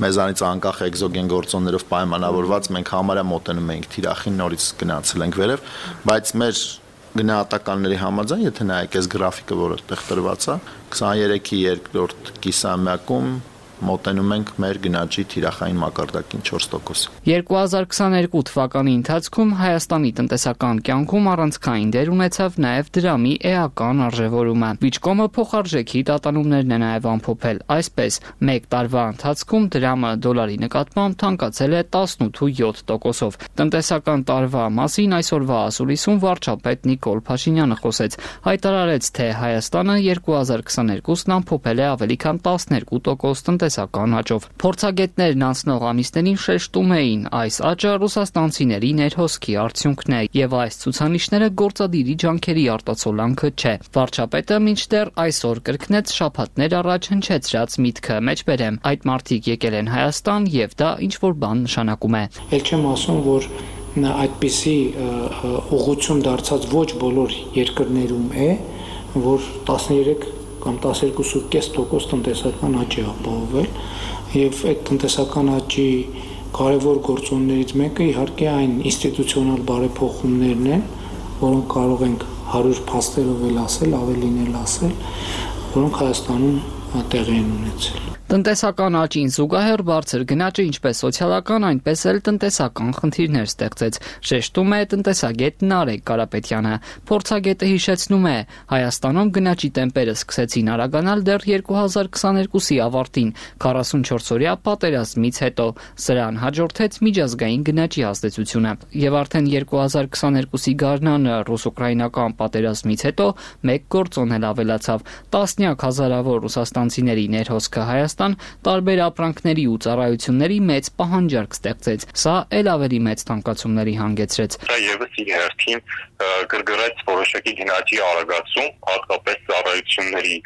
մեզանից անկախ էկզոգեն գործոններով պայմանավորված մենք համարյա մոտենում ենք թիրախին, նորից գնացել ենք վերև, բայց մեր գնահատականների համաձայն, եթե նայեք այս գրաֆիկը, որը այդտեղ տրված է, քսաներեքի երկրորդ կիսամյակում մոտենում ենք մեր գնաճի թիրախային մակարդակին չորս տոկոս։ երկու հազար քսաներկու թվականի ընթացքում Հայաստանի տնտեսական կյանքում առանցքային դեր ունեցավ նաև դրամի էական արժևորումը։ Վիճկոմը փոխարժեքի տատանումներն է նաև ամփոփել, այսպես մեկ տարվա ընթացքում դրամը դոլարի նկատմամբ թանկացել է տասնութ ու յոթ տոկոսով։ Տնտեսական տարվա մասին այսօրվա ասուլիսում վարչապետ Նիկոլ Փաշինյանը խոսեց, հայտարարեց, թե Հայաստանը երկու հազար քսաներկուսն ամփոփել է ավելի քան տասներկու տոկոս տնտեսական աճով։ Փորձագետներն անցնող ամիսներին շեշտում էին, այս աճը ռուսաստանցիների ներհոսքի արդյունքն է եւ այս ցուցանիշները գործադիրի ջանքերի արտացոլանքը չէ։ Վարչապետը մինչդեռ այսօր կրկնեց շաբաթներ առաջ հնչեցրած միտքը, մեջբերեմ, այդ մարդիկ եկել են Հայաստան եւ դա ինչ որ բան նշանակում է։ Էլ չեմ ասում, որ այդպիսի ուղղություն դարձած ոչ բոլոր երկրներում է, որ տասներեք կամ տասներկու կόμμα պենս տոկոս տնտեսական աճ է ապահովել եւ այդ տնտեսական աճի կարևոր գործոններից մեկը իհարկե այն ինստիտուցիոնալ բարեփոխումներն են, որոնք կարող ենք հարյուր փաստերով էլ ասել, ավելին էլ ասել, որոնք Հայաստանում տեղի են ունեցել։ Տնտեսական աճին զուգահեռ բարձր գնաճը ինչպես սոցիալական, այնպես էլ տնտեսական խնդիրներ ստեղծեց, շեշտում է տնտեսագետ Նարեկ Կարապետյանը։ Փորձագետը հիշեցնում է, Հայաստանում գնաճի տեմպերը սկսեցին արագանալ դեռ երկու հազար քսաներկուսի ավարտին, քառասունչորսօրյա պատերազմից հետո։ Սրան հաջորդեց միջազգային գնաճի ազդեցությունը։ Եվ արդեն երկու հազար քսաներկուսի գարնանը ռուս-ուկրաինական պատերազմից հետո մեկ գործոն էլ ավելացավ։ Տասնյակ հազարավոր ռուսաստանցիների ներհոսքը Հայաստան տարբեր ապրանքների ու ծառայությունների մեծ պահանջարկ ստեղծեց։ Սա էլ ավելի մեծ թանկացումների հանգեցրեց։ Սա եւս իր հերթին գրգռեց որոշակի գնաճի արագացում, հատկապես ծառայությունների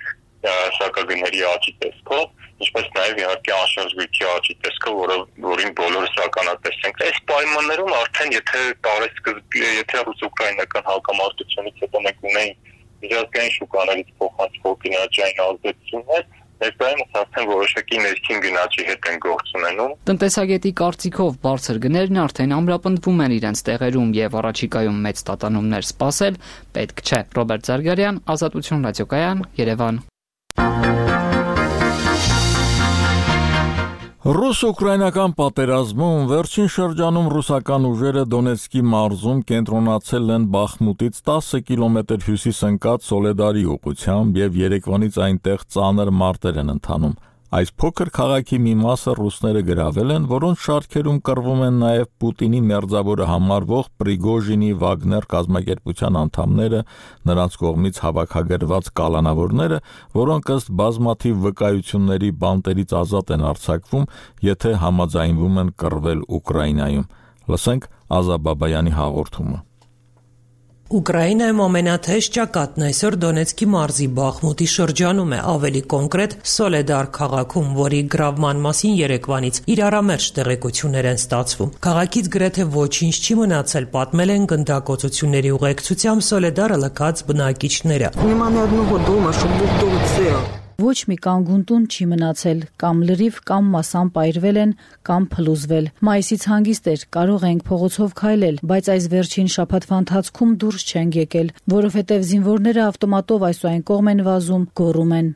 սակագների աճի տեսքով, ինչպես նաև իհարկե անշարժվույթի աճի տեսքով, որը որին բոլորս ականատես ենք։ Այս պայմաններում արդեն եթե տարեսկզբի, եթե ռուս-ուկրաինական հակամարտությունից հետո մենք ունեինք միջազգային շուկաներից փոխանցվող գնաճային ազդեցություններ, ներկայումս արդեն որոշակի ներքին գնաճի հետ են գործ ունենում։ Տնտեսագետի կարծիքով բարձր գներն արդեն ամրապնդվում են իրենց տեղերում եւ առաջիկայում մեծ տատանումներ սպասել պետք չէ։ Ռոբերտ Զարգարյան, Ազատություն ռադիոկայան, Երևան։ Ռուս-ուկրաինական պատերազմում վերջին շրջանում ռուսական ուժերը Դոնեցկի մարզում կենտրոնացել են Բախմուտից տասը կիլոմետր հյուսիս ընկած Սոլեդարի ուղղությամբ եւ Երևանից այնտեղ ծանր մարտեր են ընթանում։ Այս փոքր քաղաքի մի մասը ռուսները գրավել են, որոնց շարքերում կռվում են նաև Պուտինի մերձավորը համարվող Պրիգոժինի Վագներ կազմակերպության անդամները, նրանց կողմից հավաքագրված կալանավորները, որոնք ըստ բազմաթիվ վկայությունների բանտերից ազատ են արձակվում, եթե համաձայնվում են կռվել Ուկրաինայում։ Լսենք Ազա Բաբայանի հաղորդումը։ Ուկրաինայում ամենաթեժ ճակատն այսօր Դոնեցկի մարզի Բախմուտի շրջանում է, ավելի կոնկրետ Սոլեդար քաղաքում, որի գրավման մասին Երևանից իրարամերժ տեղեկություններ են ստացվում։ Քաղաքից գրեթե ոչինչ չի մնացել, պատմել են գնդակոծությունների ուղեկցությամբ Սոլեդարը լքած բնակիչները։ Ոչ մի կանգուն տուն չի մնացել, կամ լրիվ կամ մասամբ այրվել են, կամ փլուզվել։ Մայիսից հանգիստ էր, կարող ենք փողոցով քայլել, բայց այս վերջին շաբաթվա ընթացքում դուրս չենք եկել, որովհետև զինվորները ավտոմատով այս ու այն կողմ են վազում, գոռում են։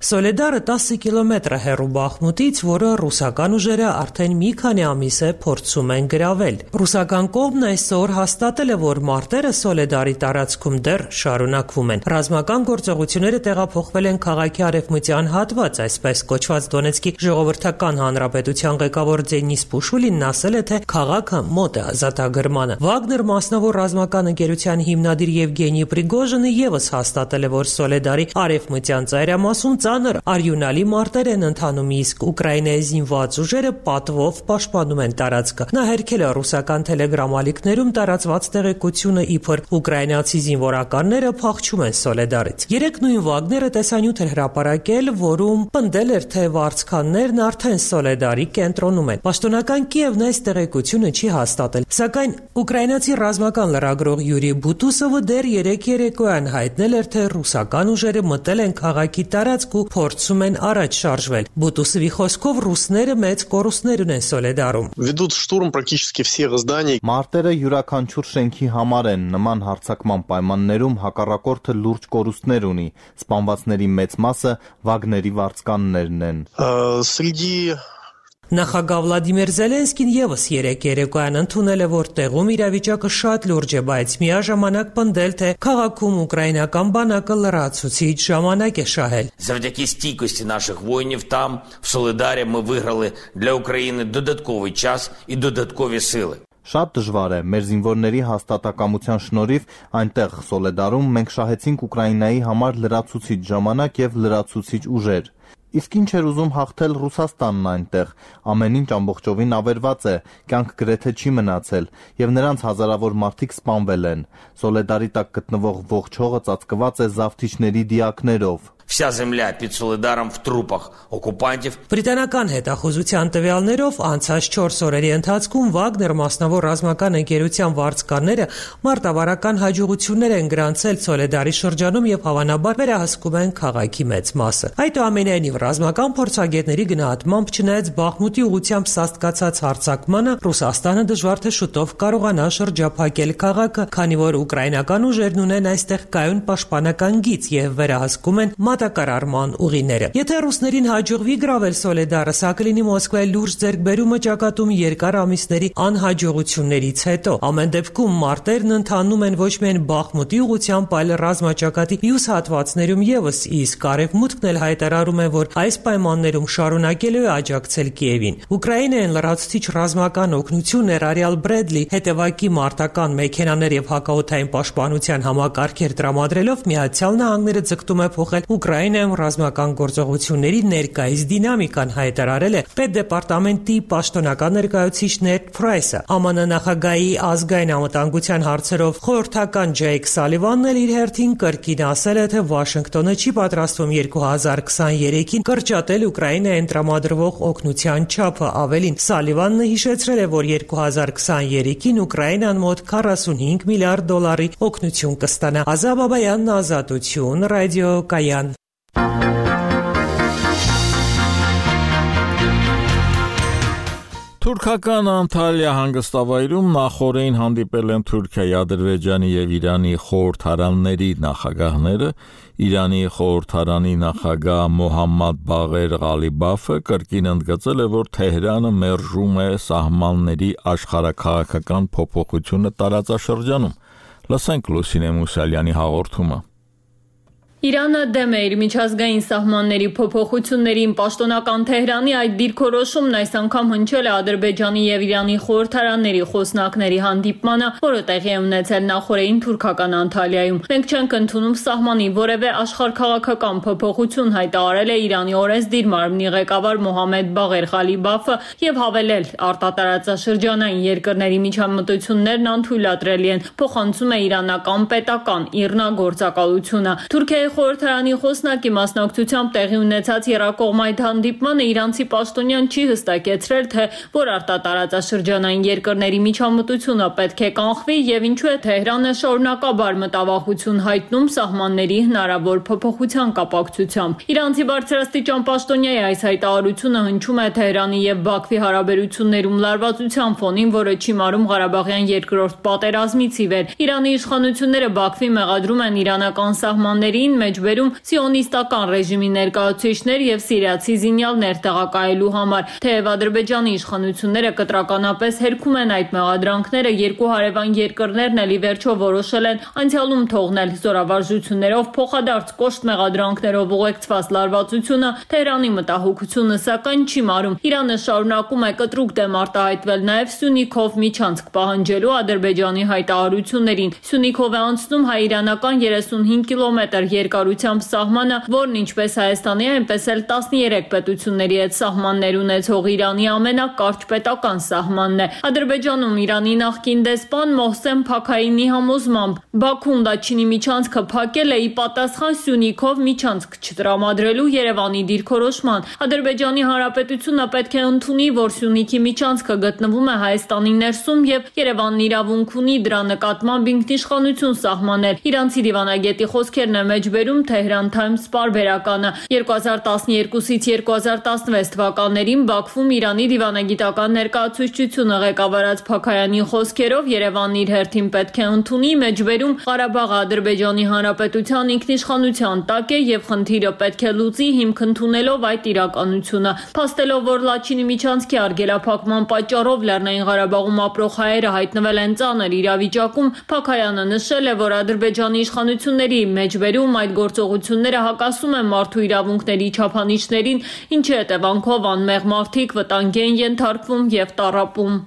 Սոլեդարը տասը կիլոմետր է հեռու Բախմուտից, որը ռուսական ուժերը արդեն մի քանի ամիս է փորձում են գրավել։ Ռուսական կողմն այսօր հաստատել է, որ մարտերը Սոլեդարի տարածքում դեռ շարունակվում են։ Ռազմական գործողությունները տեղափոխվել են քաղաքի արևմտյան հատված, այսպես կոչված Դոնեցկի ժողովրդական հանրապետության ղեկավար Դենիս Պուշուլինն ասել է, թե քաղաքը մոտ է ազատագրմանը։ Վագներ մասնավոր ռազմական ընկերության հիմնադիր Եվգենի Պրիգոժինը եւս հաստատել է, որ Սոլեդարի արևմտյան ծայրամասում ծանր արյունալի մարտեր են ընթանում, իսկ Ուկրաինայի զինված ուժերը պատվով պաշտպանում են տարածքը։ Նա հերքել է ռուսական թելեգրամ ալիքներում տարածված տեղեկությունը, իբր ուկրաինացի զինվորականները փախչում են Սոլեդարից։ Երեք նույն Վագները տեսանյութ էր հրապարակել, որում պնդել էր, թե վարձկաններն արդեն Սոլեդարի կենտրոնում են։ Պաշտոնական Կիևն այս տեղեկությունը չի հաստատել, սակայն ուկրաինացի ռազմական լրագրող Յուրի Բուտուսովը դեռ երեք երեկոյան հայտնել էր, թե ռուսական ուժերը մտել են քաղաքի տարածք ու փորձում են առաջ շարժվել։ Բուտուսովի խոսքով ռուսները մեծ կորուստներ ունեն Սոլեդարում։ Ведут штурм практически всех зданий. Մարտերը յուրաքանչյուր շենքի համար են, նման հարձակման պայմաններում հակառակորդը լուրջ կորուստներ ունի։ Սպանվածների մեծ մասը Վագների վարձկաններն են։ Среди Նախագահ Վլադիմիր Զելենսկին եւս երեք երեկոյան ընդունել է, որ տեղում իրավիճակը շատ լուրջ է, բայց միաժամանակ պնդել, թե քաղաքում ուկրաինական բանակը լրացուցիչ ժամանակ է շահել։ Завдяки стійкості наших воїнів там, в Солидарі, ми виграли для України додатковий час і додаткові сили. Շատ դժվար է, մեր զինվորների հաստատակամության շնորհիվ այնտեղ Սոլեդարում մենք շահեցինք Ուկրաինայի համար լրացուցիչ ժամանակ եւ լրացուցիչ ուժեր։ Իսկ ինչ էր ուզում հաղթել Ռուսաստանն այնտեղ, ամեն ինչ ամբողջովին ավերված է, կյանք գրեթե չի մնացել, եւ նրանց հազարավոր մարդիկ սպանվել են։ Սոլեդարի տակ գտնվող ողջ հողը ծածկված է զավթիչների դիակներով։ Вся земля під Солидаром в трупах окупантів. Բրիտանական հետախուզության տվյալներով անցած չորս օրերի ընթացքում Վագներ մասնավոր ռազմական ընկերության վարձկանները մարտավարական հաջողություններ են գրանցել Սոլեդարի շրջանում եւ հավանաբար վերահսկում են քաղաքի մեծ մասը։ Այդուամենայնիվ ռազմական փորձագետների գնահատմամբ չնայած Բախմուտի ուղությամբ սաստկացած հարձակմանը Ռուսաստանը դժվար թե շուտով կարողանա շրջափակել քաղաքը, քանի որ ուկրաինական ուժերն ունեն այստեղ կայուն պաշտպանական գիծ եւ վերահսկում են մատակարարման ուղիները։ Եթե ռուսներին հաջողվի գրավել Սոլեդարը, սա կլինի Մոսկվայի լուրջ ձեռքբերումը ճակատում երկար ամիսների անհաջողություններից հետո։ Ամեն դեպքում մարտերն ընթանում են ոչ միայն Բախմուտի ուղղությամբ, այլ ռազմաճակատի մյուս հատվածներում եւս, իսկ Արևմուտքն էլ հայտարարում է, որ այս պայմաններում շարունակելու է աջակցել Կիևին։ Ուկրաինային լրացուցիչ ռազմական օգնություն ներառյալ Բրեդլի, հետևակի մարտական մեքենաներ եւ հակաօդային պաշտպանության համակարգեր տրամադրելով Միացյալ Նահանգները ձգտում է փոխել Ուկրաինայում ռազմական գործողությունների ներկայիս դինամիկան, հայտարարել է Պետդեպարտամենտի պաշտոնական ներկայացուցիչ Նեդ Փրայսը։ ԱՄՆ նախագահի ազգային անվտանգության հարցերով խորհրդական Ջեյք Սալիվանն էլ իր հերթին կրկին ասել է, թե Վաշինգտոնը չի պատրաստվում երկու հազար քսաներեքին կրճատել Ուկրաինային տրամադրվող օգնության չափը։ Ավելին, Սալիվանն հիշեցրել է, որ երկու հազար քսաներեքին Ուկրաինան մոտ քառասունհինգ միլիարդ դոլարի օգնություն կստանա։ Ազատ Բաբայանն, Ազատություն, ռադիո Կայան։ Թուրքական Անտալիա հանգստավայրում նախօրեին հանդիպել են Թուրքիայի, Ադրբեջանի եւ Իրանի խորհրդարանների նախագահները։ Իրանի խորհրդարանի նախագահ Մոհամմադ Բաղեր Ղալիբաֆը կրկին ընդգծել է, որ Թեհրանը մերժում է սահմանների աշխարհաքաղաքական փոփոխությունը տարածաշրջանում։ Լսենք Լուսինե Մուսալյանի հաղորդումը։ Իրանը դեմ է իր միջազգային սահմանների փոփոխություններին։ Պաշտոնական Թեհրանի այդ դիրքորոշումն այս անգամ հնչել է Ադրբեջանի եւ Իրանի խորհրդարանների խոսնակների հանդիպմանը, որը տեղի է ունեցել նախօրեին թուրքական Անտալիայում։ Մենք չենք ընդունում սահմանի որևէ աշխարհքաղաքական փոփոխություն, հայտարարել է Իրանի օրենսդիր մարմնի ղեկավար Մոհամմեդ Բաղեր Ղալիբաֆը եւ հավելել, արտատարածաշրջանային երկրների միջամտություններն անթույլատրելի են, փոխանցում է իրանական պետական ԻՌՆԱ գործակալությունը։ Թուրքիայի խորհրդարանի խոսնակի մասնակցությամբ տեղի ունեցած եռակողմ այդ հանդիպմանը իրանցի պաշտոնյան չի հստակեցրել, թե որ արտատարածաշրջանային երկրների միջամտությունը պետք է կանխվի եւ ինչու է Թեհրանը շարունակաբար մտավախություն հայտնում սահմանների հնարավոր փոփոխության կապակցությամբ։ Իրանցի բարձրաստիճան պաշտոնյայի այս հայտարարությունը հնչում է Թեհրանի եւ Բաքվի հարաբերություններում լարվածության ֆոնին, որը չի մարում Ղարաբաղյան երկրորդ պատերազմից ի վեր։ Իրանի իշխանությունները Բաքվի մեղադրում են իրանական սահմաններին մեջբերում սիոնիստական ռեժիմի ներկայացուցիչներ եւ սիրիացի զինյալներ տեղակայելու համար, թեև Ադրբեջանի իշխանությունները կտրականապես հերքում են այդ մեղադրանքները, երկու հարևան երկրներն էլ ի վերջո որոշել են անցյալում թողնել զորավարժություններով փոխադարձ կոշտ մեղադրանքներով ուղեկցված լարվածությունը, Թեհրանի մտահոգությունը սակայն չի մարում։ Իրանը շարունակում է կտրուկ դեմ արտահայտվել նաեւ Սյունիքով միջանցք պահանջելու Ադրբեջանի հայտարարություններին։ Սյունիքով է անցնում հայ-իրանական երեսունհինգ կիլոմետր երկարությամբ սահմանը, որն ինչպես Հայաստանի, այնպես էլ տասներեք պետությունների հետ սահմաններ ունեցող Իրանի ամենակարճ պետական սահմանն է։ Ադրբեջանում Իրանի նախկին դեսպան Մոհսեն Փաքայինի համոզմամբ Բաքուն Լաչինի միջանցքը փակել է ի պատասխան Սյունիքով միջանցք չտրամադրելու Երևանի դիրքորոշման։ Ադրբեջանի Հանրապետությունը պետք է ընդունի, որ Սյունիքի միջանցքը գտնվում է Հայաստանի ներսում եւ Երևանն իրավունք ունի դրա նկատմամբ ինքնիշխանություն սահմանել։ Իրանցի դիվանագետի խոսքերն է մեջբերում Tehran Times պարբերականը։ երկու հազար տասներկուսից երկու հազար տասնվեց թվականներին Բաքվում Իրանի դիվանագիտական ներկայացուցչությունը ղեկավարած Փաքայանի խոսքերով Երևանն իր հերթին պետք է ընդունի, մեջբերում Ղարաբաղը Ադրբեջանի Հանրապետության ինքնիշխանության տակ է եւ խնդիրը պետք է լուծի հիմք ընդունելով այդ իրականությունը։ Փաստելով, որ Լաչինի միջանցքի արգելափակման պատճառով Լեռնային Ղարաբաղում ապրող հայերը հայտնվել են ծանր իրավիճակում, Փաքայանը նշել է, որ Ադրբեջանի իշխանությունների մեջբերում այդ գործողությունները հակասում են մարդու իրավունքների չափանիշներին, ինչի հետևանքով անմեղ մարդիկ վտանգի են ենթարկվում եւ տառապում։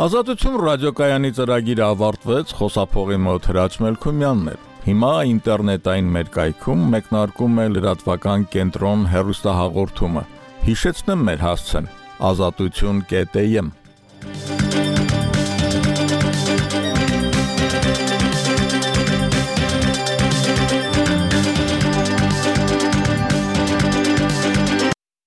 Ազատություն ռադիոկայանի ծրագիրը ավարտվեց, խոսափողի մոտ Հրաչ Մելքումյանն էր։ Հիմա ինտերնետային մեր կայքում մեկնարկում է լրատվական կենտրոն հեռուստահաղորդումը։ Հիշեցնեմ մեր հասցեն՝ ազատություն կետ էյ էմ